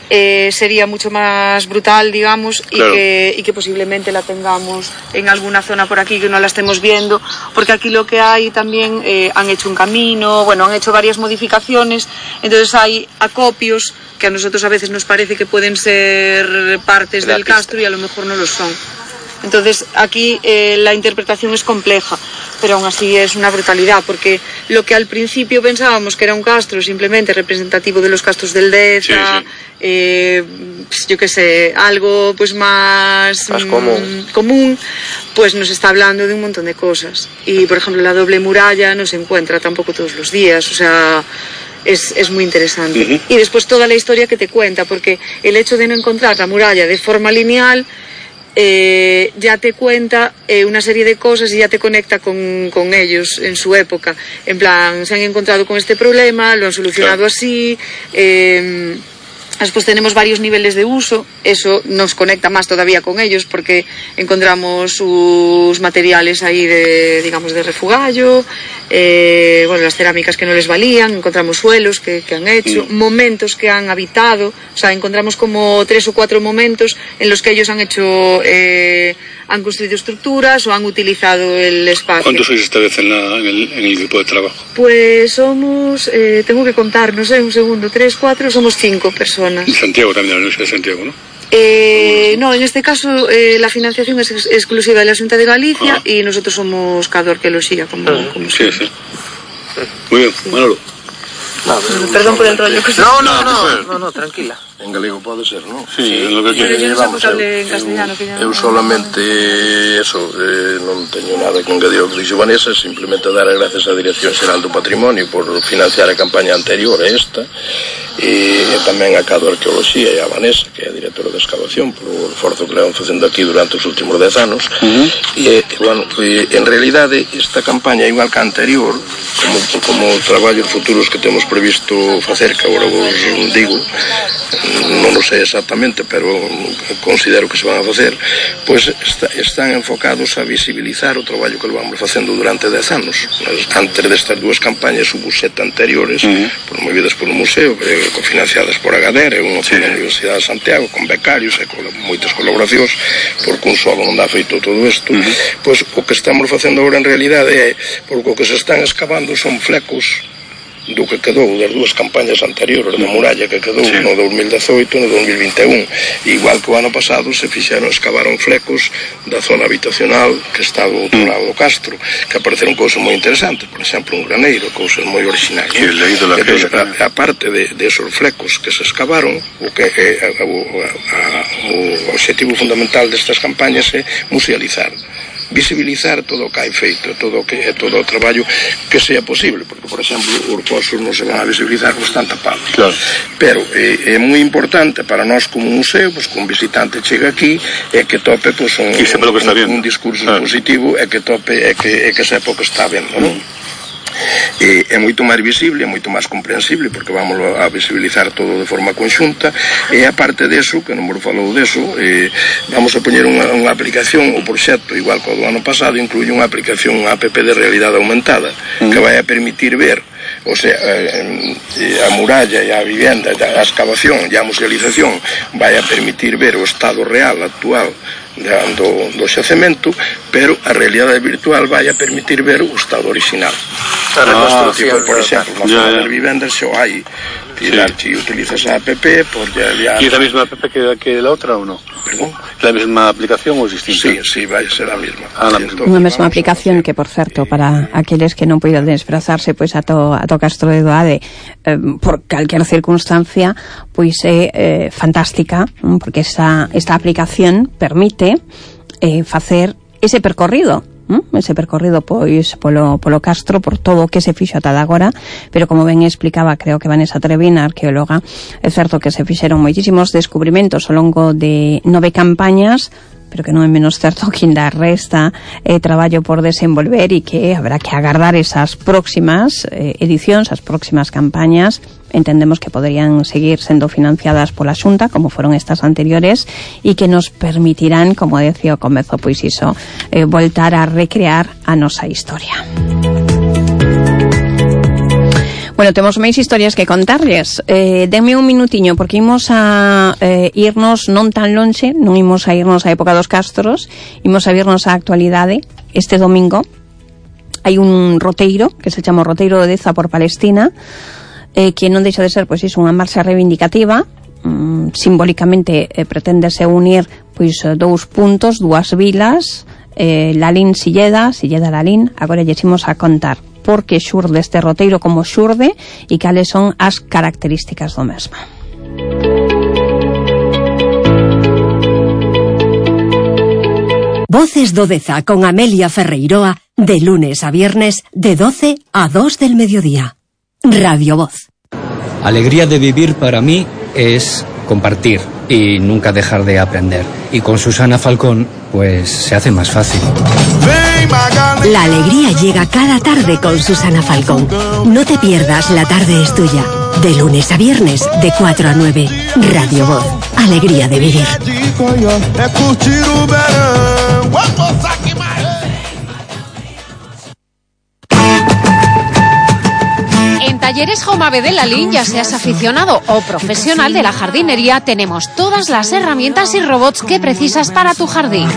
sería mucho más brutal, digamos, y que posiblemente la tengamos en alguna zona por aquí que no la estemos viendo, porque aquí lo que hay también, han hecho un camino, bueno, han hecho varias modificaciones, entonces hay acopios que a nosotros a veces nos parece que pueden ser partes del castro y a lo mejor no lo son. Entonces aquí la interpretación es compleja, pero aún así es una brutalidad, porque lo que al principio pensábamos que era un castro simplemente representativo de los castros del Deza, yo qué sé, algo pues más común, pues nos está hablando de un montón de cosas. Y por ejemplo la doble muralla no se encuentra tampoco todos los días, o sea... Es muy interesante. Y después toda la historia que te cuenta, porque el hecho de no encontrar la muralla de forma lineal ya te cuenta una serie de cosas y ya te conecta con ellos en su época. En plan, se han encontrado con este problema, lo han solucionado así, Después tenemos varios niveles de uso, eso nos conecta más todavía con ellos porque encontramos sus materiales ahí de refugallo, las cerámicas que no les valían, encontramos suelos que han hecho, momentos que han habitado, o sea, encontramos como 3 o 4 momentos en los que ellos han hecho, han construido estructuras o han utilizado el espacio. ¿Cuántos sois esta vez en el grupo de trabajo? Pues somos, tengo que contar, no sé, un segundo, 3, 4, somos 5 personas. En Santiago también, la Universidad de Santiago, ¿no? No, en este caso la financiación es exclusiva de la Xunta de Galicia y nosotros somos Cador que lo siga como sí. Muy bien, Manolo. Perdón por el rollo. No, tranquila. En galego pode ser, non? Sí, en lo que quieras. Pero yo non sei porque en castellano. Eu solamente, non teño nada que engadir ao que dixo Vanessa, simplemente dar as gracias á Dirección Xeral do Patrimonio por financiar a campaña anterior a esta, e tamén a Cado Arqueoloxía e a Vanessa, que é a directora de excavación, polo esforzo que le van facendo aquí durante os últimos 10 anos. En realidade, esta campaña, igual que a anterior, como traballos futuros que temos previsto facer, que agora vos digo, non o sei exactamente, pero considero que se van a facer, pois están enfocados a visibilizar o traballo que vamos facendo durante 10 anos. Antes destas 2 campañas hubo 7 anteriores, promovidas polo museo, cofinanciadas por Agadera e unha na Universidade de Santiago, con becarios e con moitas colaboracións, porque un solo non dá feito todo isto. Pois o que estamos facendo agora en realidade é, porque o que se están excavando son flecos do que quedou das 2 campañas anteriores da muralla que quedou no 2018 e no 2021, igual que o ano pasado se excavaron flecos da zona habitacional que está do outro lado do castro, que apareceron cousas moi interesantes, por exemplo un graneiro, cousas moi originais. Entón, a parte de esos flecos que se excavaron, o objetivo fundamental destas campañas é musealizar, visibilizar todo o que hai feito, todo o traballo que sea posible, porque, por exemplo, os fosos non se van a visibilizar con tanta tapados. Claro. Pero é moi importante para nós como museo, pues, que un visitante chega aquí e que tope pues, un discurso positivo e que tope e que sepa o que está vendo, non? É moito máis visible, é moito máis comprensible, porque vamos a visibilizar todo de forma conxunta, e aparte deso, que non me falou deso, vamos a poñer unha aplicación, o proxecto, igual que o do ano pasado, incluye unha aplicación, unha app de realidade aumentada, que vai a permitir ver, o sea, a muralla e a vivenda, a excavación e a musealización vai a permitir ver o estado real, actual, do xacemento, pero a realidade virtual vai a permitir ver o estado original. Por exemplo, nas zonas vivendas xo hai si utilizas a app por ya... ¿Y es la misma app que la otra o no? ¿Perdón? ¿La misma aplicación o es distinta? Sí, vai a ser a mesma. Unha mesma aplicación que, por certo, para aqueles que non poidan desplazarse pois a to Castro de Doade por calquer circunstancia, pois é fantástica, porque esta aplicación permite facer ese percorrido pois polo Castro, por todo o que se fixo ata agora, pero como ben explicaba, creo que Vanessa Trevina, arqueóloga, é certo que se fixeron moitísimos descubrimentos ao longo de 9 campañas, pero que non é menos certo que ainda resta traballo por desenvolver e que habrá que agardar esas próximas edicións, as próximas campañas. Entendemos que poderían seguir sendo financiadas pola Xunta, como foron estas anteriores, e que nos permitirán, como decía ao comezo, pois iso, voltar a recrear a nosa historia. Bueno, temos máis historias que contarles. Denme un minutiño, porque imos a irnos non tan lonxe, non imos a irnos á época dos castros, imos a irnos á actualidade. Este domingo hai un roteiro, que se chama o Roteiro de Deza por Palestina, que non deixa de ser pois iso, unha marcha reivindicativa. Simbólicamente preténdese unir pois 2 puntos, 2 vilas, Lalín Silleda, Silleda Lalín. Agora lle imos a contar por que xurde este roteiro, como xurde e cales son as características do mesmo. Voces do Deza con Amelia Ferreiroa, de lunes a viernes de 12 a 2 del mediodía. Radio Voz. Alegría de vivir para mí es compartir y nunca dejar de aprender. Y con Susana Falcón, pues se hace más fácil. La alegría llega cada tarde con Susana Falcón. No te pierdas La tarde es tuya. De lunes a viernes, de 4 a 9. Radio Voz. Alegría de vivir. En Talleres Jomave de Lalín, ya seas aficionado o profesional de la jardinería, tenemos todas las herramientas y robots que precisas para tu jardín.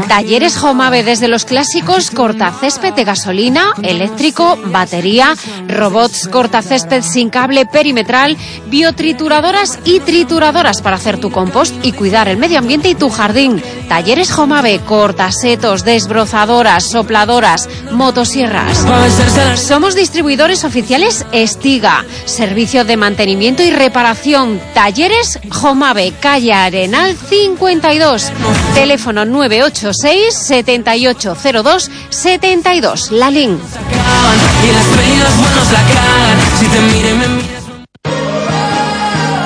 Talleres Jomave, desde los clásicos cortacésped de gasolina, eléctrico, batería, robots cortacésped sin cable perimetral, biotrituradoras y trituradoras para hacer tu compost y cuidar el medio ambiente y tu jardín. Talleres Jomave, cortasetos, desbrozadoras, sopladoras, motosierras. Somos distribuidores oficiales Estiga, servicio de mantenimiento y reparación. Talleres Jomave, calle Arenal 52, teléfono 986 7802 72, Lalín.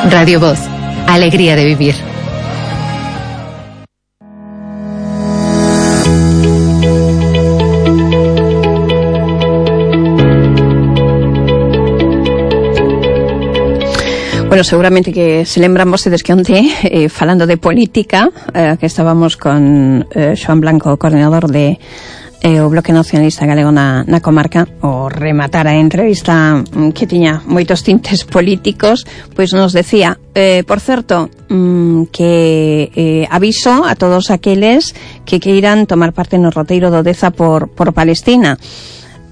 Radio Voz, alegría de vivir. Bueno, seguramente que se lembran vostedes que onte, falando de política, que estábamos con Xoán Blanco, coordinador de o Bloque Nacionalista Galego na comarca, o rematar a entrevista que tiña moitos tintes políticos, pois nos decía, por certo, que aviso a todos aqueles que queiran tomar parte no roteiro do Deza por Palestina.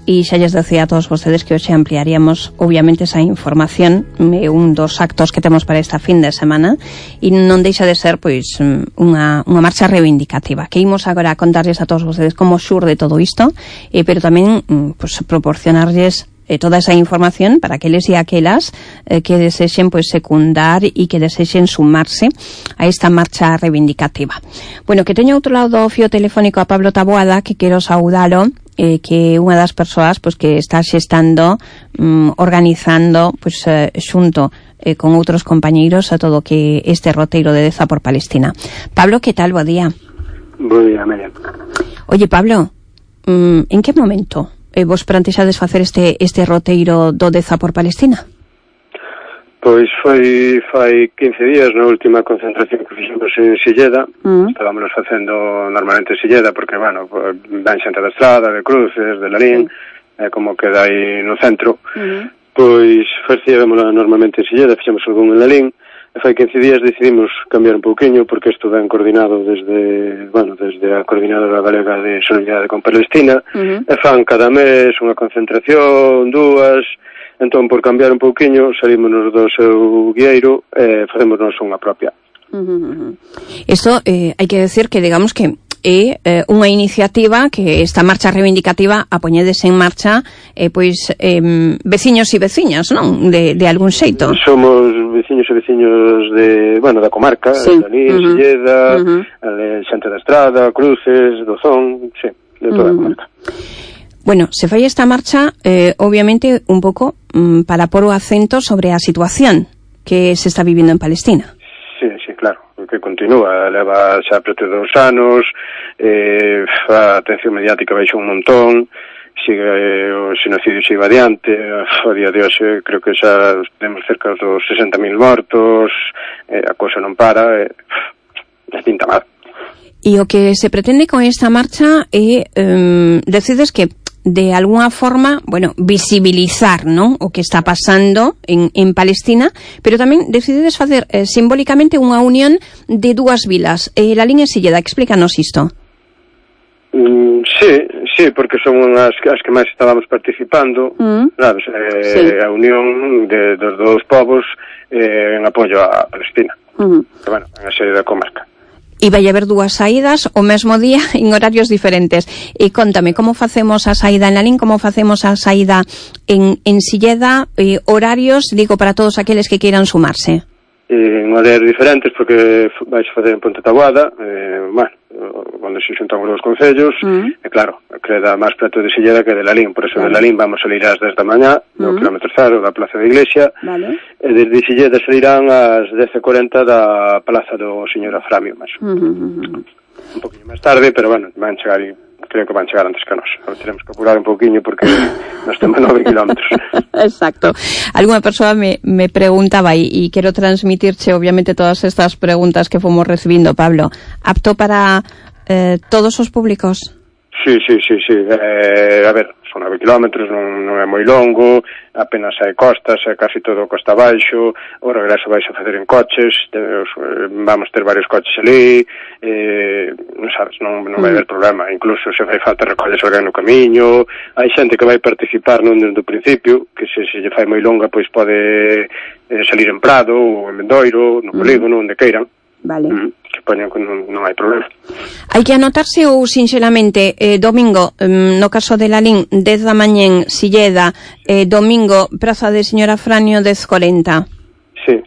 E xa lles decía a todos vostedes que hoxe ampliaríamos obviamente esa información, un dos actos que temos para esta fin de semana, e non deixa de ser pois unha marcha reivindicativa que imos agora a contarles a todos vostedes como xurde todo isto, pero tamén pois proporcionarles toda esa información para aqueles e aquelas que desexen pois secundar e que desexen sumarse a esta marcha reivindicativa. Bueno, que teño outro lado do fío telefónico a Pablo Taboada, que quero saudalo, que é unha das persoas pois que está xestando, organizando pois xunto con outros compañeiros a todo que este roteiro de Deza por Palestina. Pablo, que tal? Bo día. Bo día, Miriam. Oye, Pablo, en que momento vos plantexades facer este roteiro do Deza por Palestina? Pois foi fai 15 días na última concentración que fixemos en Silleda. Estábamos facendo normalmente en Silleda porque, bueno, dan xente da Estrada, de Cruces, de Lalín, como queda aí no centro. Pois facíamos normalmente en Silleda, fixemos algún en Lalín. E fai 15 días decidimos cambiar un pouquiño porque isto ben coordinado desde a Coordinadora Galega de Solidaridade con Palestina. E fan cada mes unha concentración, dúas. Entón, por cambiar un pouquiño, salimos do seu guieiro e facémonos unha propia. Isto hai que decir que, digamos que é unha iniciativa que esta marcha reivindicativa a poñedes en marcha pois veciños e veciñas, non? De algún xeito. Somos veciños e veciños da comarca, sí. Lalín, Silleda, xente da Estrada, Cruces, Dozón, sí, de toda a comarca. Bueno, se fai esta marcha, obviamente, un pouco para pôr o acento sobre a situación que se está vivindo en Palestina. Sí, claro, que continúa, leva xa preto de 2 anos, a atención mediática baixou un montón, sigue o xenocidio sigue adiante, a día de hoxe creo que xa temos cerca dos 60.000 mortos, a cousa non para, pinta mal. E o que se pretende con esta marcha é, decides que de alguna forma, bueno, visibilizar, ¿no?, o que está pasando en Palestina, pero tamén decides facer simbólicamente unha unión de dúas vilas, Lalín e Silleda. Explícanos isto. Sí, porque son as que máis estábamos participando, sabes, a unión dos dous povos en apoio a Palestina, que, bueno, en a sede da comarca. E vai haber dúas saídas o mesmo día en horarios diferentes. E contame, como facemos a saída en Lalín, como facemos a saída en Silleda, horarios, digo, para todos aqueles que queiran sumarse? En horarios diferentes, porque vais facer en Ponte Taboada, bueno, onde se xuntan os dous concellos, e claro, queda máis preto de Silleda que de Lalín, por eso de Lalín vamos salir ás 10 da mañá, no kilómetro 0 da Plaza da Iglesia, e desde Silleda salirán ás 10:40 da Plaza do Señor Aframio, máis un poquinho máis tarde, pero bueno, van chegar, creo que van chegar antes que nós. Teremos que apurar un poquinho porque nos temos 9 kilómetros. Exacto. Alguna persoa me preguntaba, y quiero transmitirche obviamente todas estas preguntas que fomos recibindo, Pablo, apto para todos os públicos? Sí. A ver, son 9 kilómetros, non é moi longo, apenas hai costas, é casi todo costa abaixo, o regreso vais a facer en coches, vamos ter varios coches ali, non sabes, non vai haber problema, incluso se fai falta recolles alguén no camiño, hai xente que vai participar non desde o principio, que se lle fai moi longa, pois pode salir en Prado, ou en Mendoiro, no polígono, onde queiran. Vale. Que poñan que non hai problema. Hai que anotarse ou sinxelamente domingo, no caso de Lalín, 10 da mañén, Silleda, domingo, Praza de Señor Afranio, 10:40. Sí,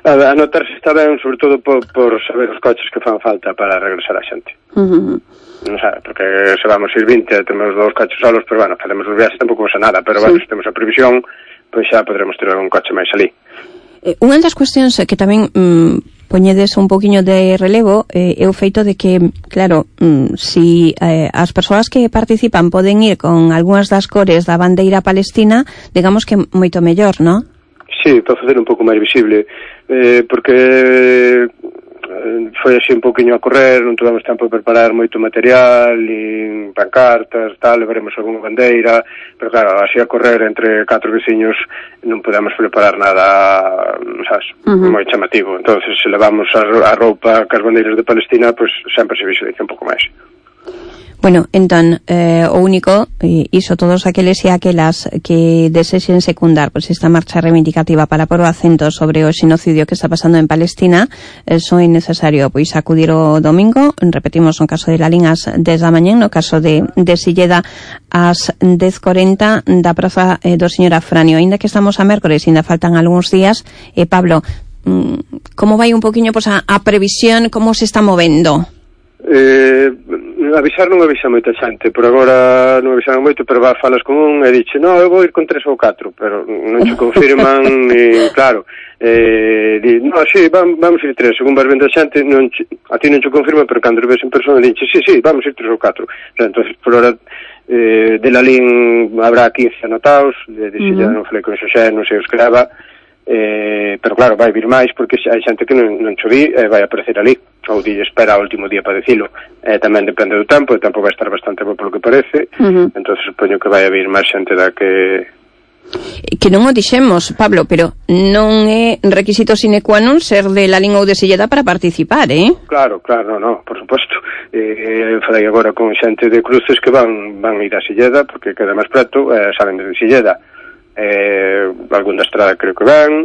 anotarse está ben, sobre todo por saber os coches que fan falta para regresar a xente. Non sabe, porque se vamos ir 20, temos 2 coches solos, pero bueno, facemos os viaxes, tampouco pasa nada, pero bueno, se temos a previsión, pois xa podremos ter un coche máis ali. Unha das cuestións que tamén poñedes un poquinho de relevo é o feito de que, claro, si as persoas que participan poden ir con algunhas das cores da bandeira palestina, digamos que moito mellor, non? Sí, para facer un pouco máis visible, porque foi así un pouquinho a correr, non tivemos tempo de preparar moito material, e pancartas, tal, levaremos algunha bandeira, pero claro, así a correr entre 4 veciños non podemos preparar nada, sabes, moi chamativo. Entonces, se levamos a roupa cas bandeiras de Palestina, pois sempre se visualiza un pouco máis. Bueno, entón, o único, iso todos aqueles e aquelas que desexen secundar pois esta marcha reivindicativa para pôr o acento sobre o xenocidio que está pasando en Palestina, son necesario pois acudir o domingo, repetimos no caso de Lalín ás 10 da mañén, no caso de Silleda ás 10:40 da Praza do Señor Afranio. Ainda que estamos a mércores, ainda faltan algúns días, Pablo, como vai un poquinho pois a previsión, como se está movendo? Avisar non avisa moita xente, por agora non avisaron moito, pero falas con un e dixe, no, eu vou ir con 3 ou 4, pero non se confirman, e claro, no, sí, vamos ir 3, según vas vendo a xente, a ti non se confirma, pero cando ves en persona dixe, sí, vamos ir 3 ou 4, entonces por hora de Lalín habrá 15 anotados, de Silleda non falei con Xosé, non sei os que leva, pero claro, vai vir máis porque hai xente que non choví e vai aparecer ali, ou dille espera o último día para dicilo, tamén depende do tempo, o tempo vai estar bastante bo polo que parece, entonces supoño que vai a vir máis xente da que non o dixemos, Pablo, pero non é requisito sine qua non ser de Lalín ou de Silleda para participar, Claro, no, por suposto. Falei agora con xente de Cruces que van ir a Silleda porque queda máis preto, salen de Silleda, algún da estrada creo que van,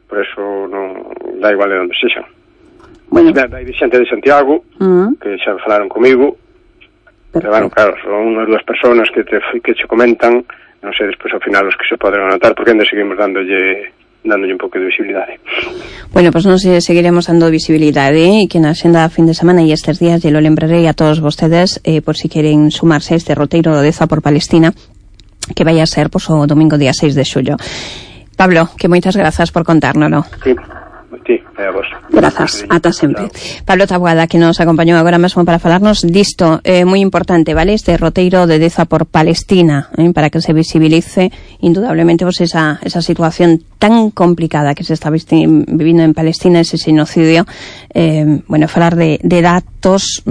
por eso non dá igual de onde sexan. Bueno, hai xente de Santiago que xa falaron comigo, pero bueno, claro, son unhas 2 personas que che comentan, non sei despois ao final os que se poden anotar, porque ainda seguimos dándolle un pouco de visibilidade. Bueno, pues non seguiremos dando visibilidade, e que na xenda fin de semana e estes días lle lo lembrarei a todos vostedes, por si queren sumarse a este roteiro do Deza por Palestina, que vai a ser o domingo día 6 de xullo. Pablo, que moitas grazas por contárnoslo. Sí, a vos. Grazas, ata sempre. Pablo Taboada, que nos acompañou agora mesmo para falarnos disto, moi importante, vale, este roteiro de Deza por Palestina, para que se visibilice indudablemente esa situación tan complicada que se está vivindo en Palestina, ese xenocidio. Bueno, falar de datos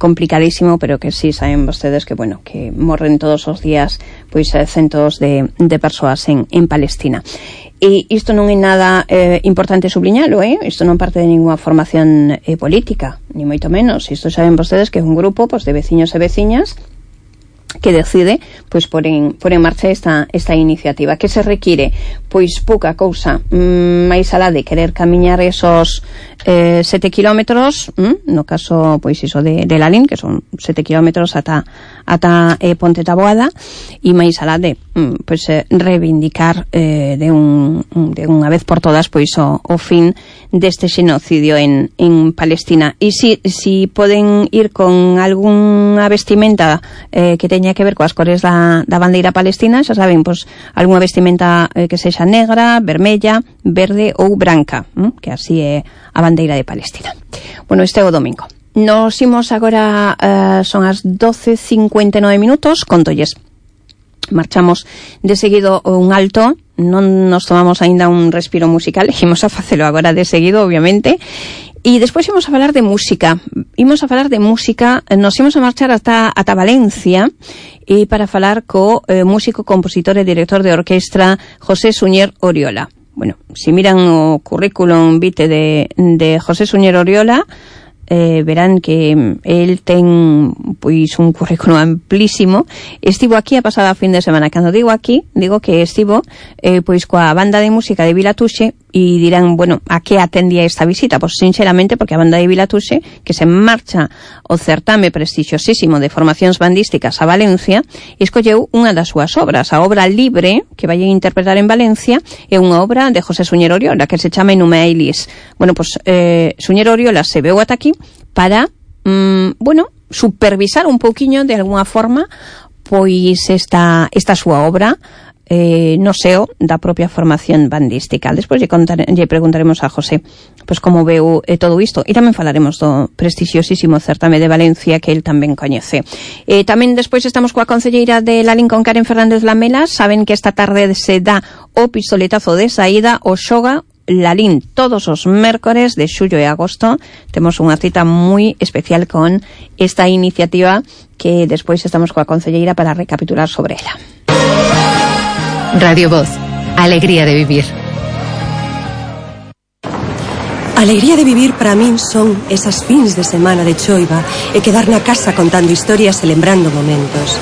complicadísimo, pero que sí saben vostedes que, bueno, que morren todos os días pois centos de persoas en Palestina. E isto non é nada importante subliñalo, isto non parte de ninguna formación política, ni moito menos. Isto saben vostedes que é un grupo de veciños e veciñas que decide pôr en marcha esta iniciativa. Que se require? Pois pouca cousa, máis alá de querer camiñar esos 7 kilómetros, no caso pois iso de Lalín, que son 7 kilómetros ata Ponte Taboada, e máis alá de pois reivindicar de unha vez por todas pois o fin deste xenocidio en Palestina. E si poden ir con algunha vestimenta que teña que ver coas cores da bandeira palestina, xa saben, pois algunha vestimenta que sexa negra, vermella, verde ou branca, que así é a bandeira de Palestina. Bueno, este é o domingo. Nos imos agora, son as 12:59 minutos, contolles. Marchamos de seguido un alto, non nos tomamos aínda un respiro musical, imos a facelo agora de seguido, obviamente, e despois imos a falar de música. Nos imos a marchar ata Valencia e para falar co músico, compositor e director de orquestra José Suñer Oriola. Bueno, si miran o currículum vitae de José Suñer Oriola, verán que el ten pois un currículo amplísimo. Estivo aquí a pasada fin de semana. Cando digo aquí, digo que estivo pois coa banda de música de Vilatuxe, e dirán, bueno, a que atendía esta visita? Pois sinceramente porque a banda de Vilatuxe, que se marcha o certame prestixiosísimo de formacións bandísticas a Valencia, escolleu unha das súas obras, a obra Libre, que vai a interpretar en Valencia, é unha obra de José Suñer Oriola, que se chama Nume Ailis. Bueno, pois Suñer Oriola se veu ata aquí para, supervisar un pouquiño de alguna forma pois esta súa obra no seo da propia formación bandística. Despois lle preguntaremos a José pois como veu todo isto, e tamén falaremos do prestixiosísimo certame de Valencia que el tamén coñece. Tamén despois estamos coa concelleira de Lalín, con Karen Fernández Lamela. Saben que esta tarde se dá o pistoletazo de saída o xoga Lalín todos os mércores de xullo e agosto. Temos unha cita moi especial con esta iniciativa que despois estamos coa concelleira para recapitular sobre ela. Radio Voz, alegría de vivir. Alegría de vivir para min son esas fins de semana de choiva e quedar na casa contando historias e lembrando momentos.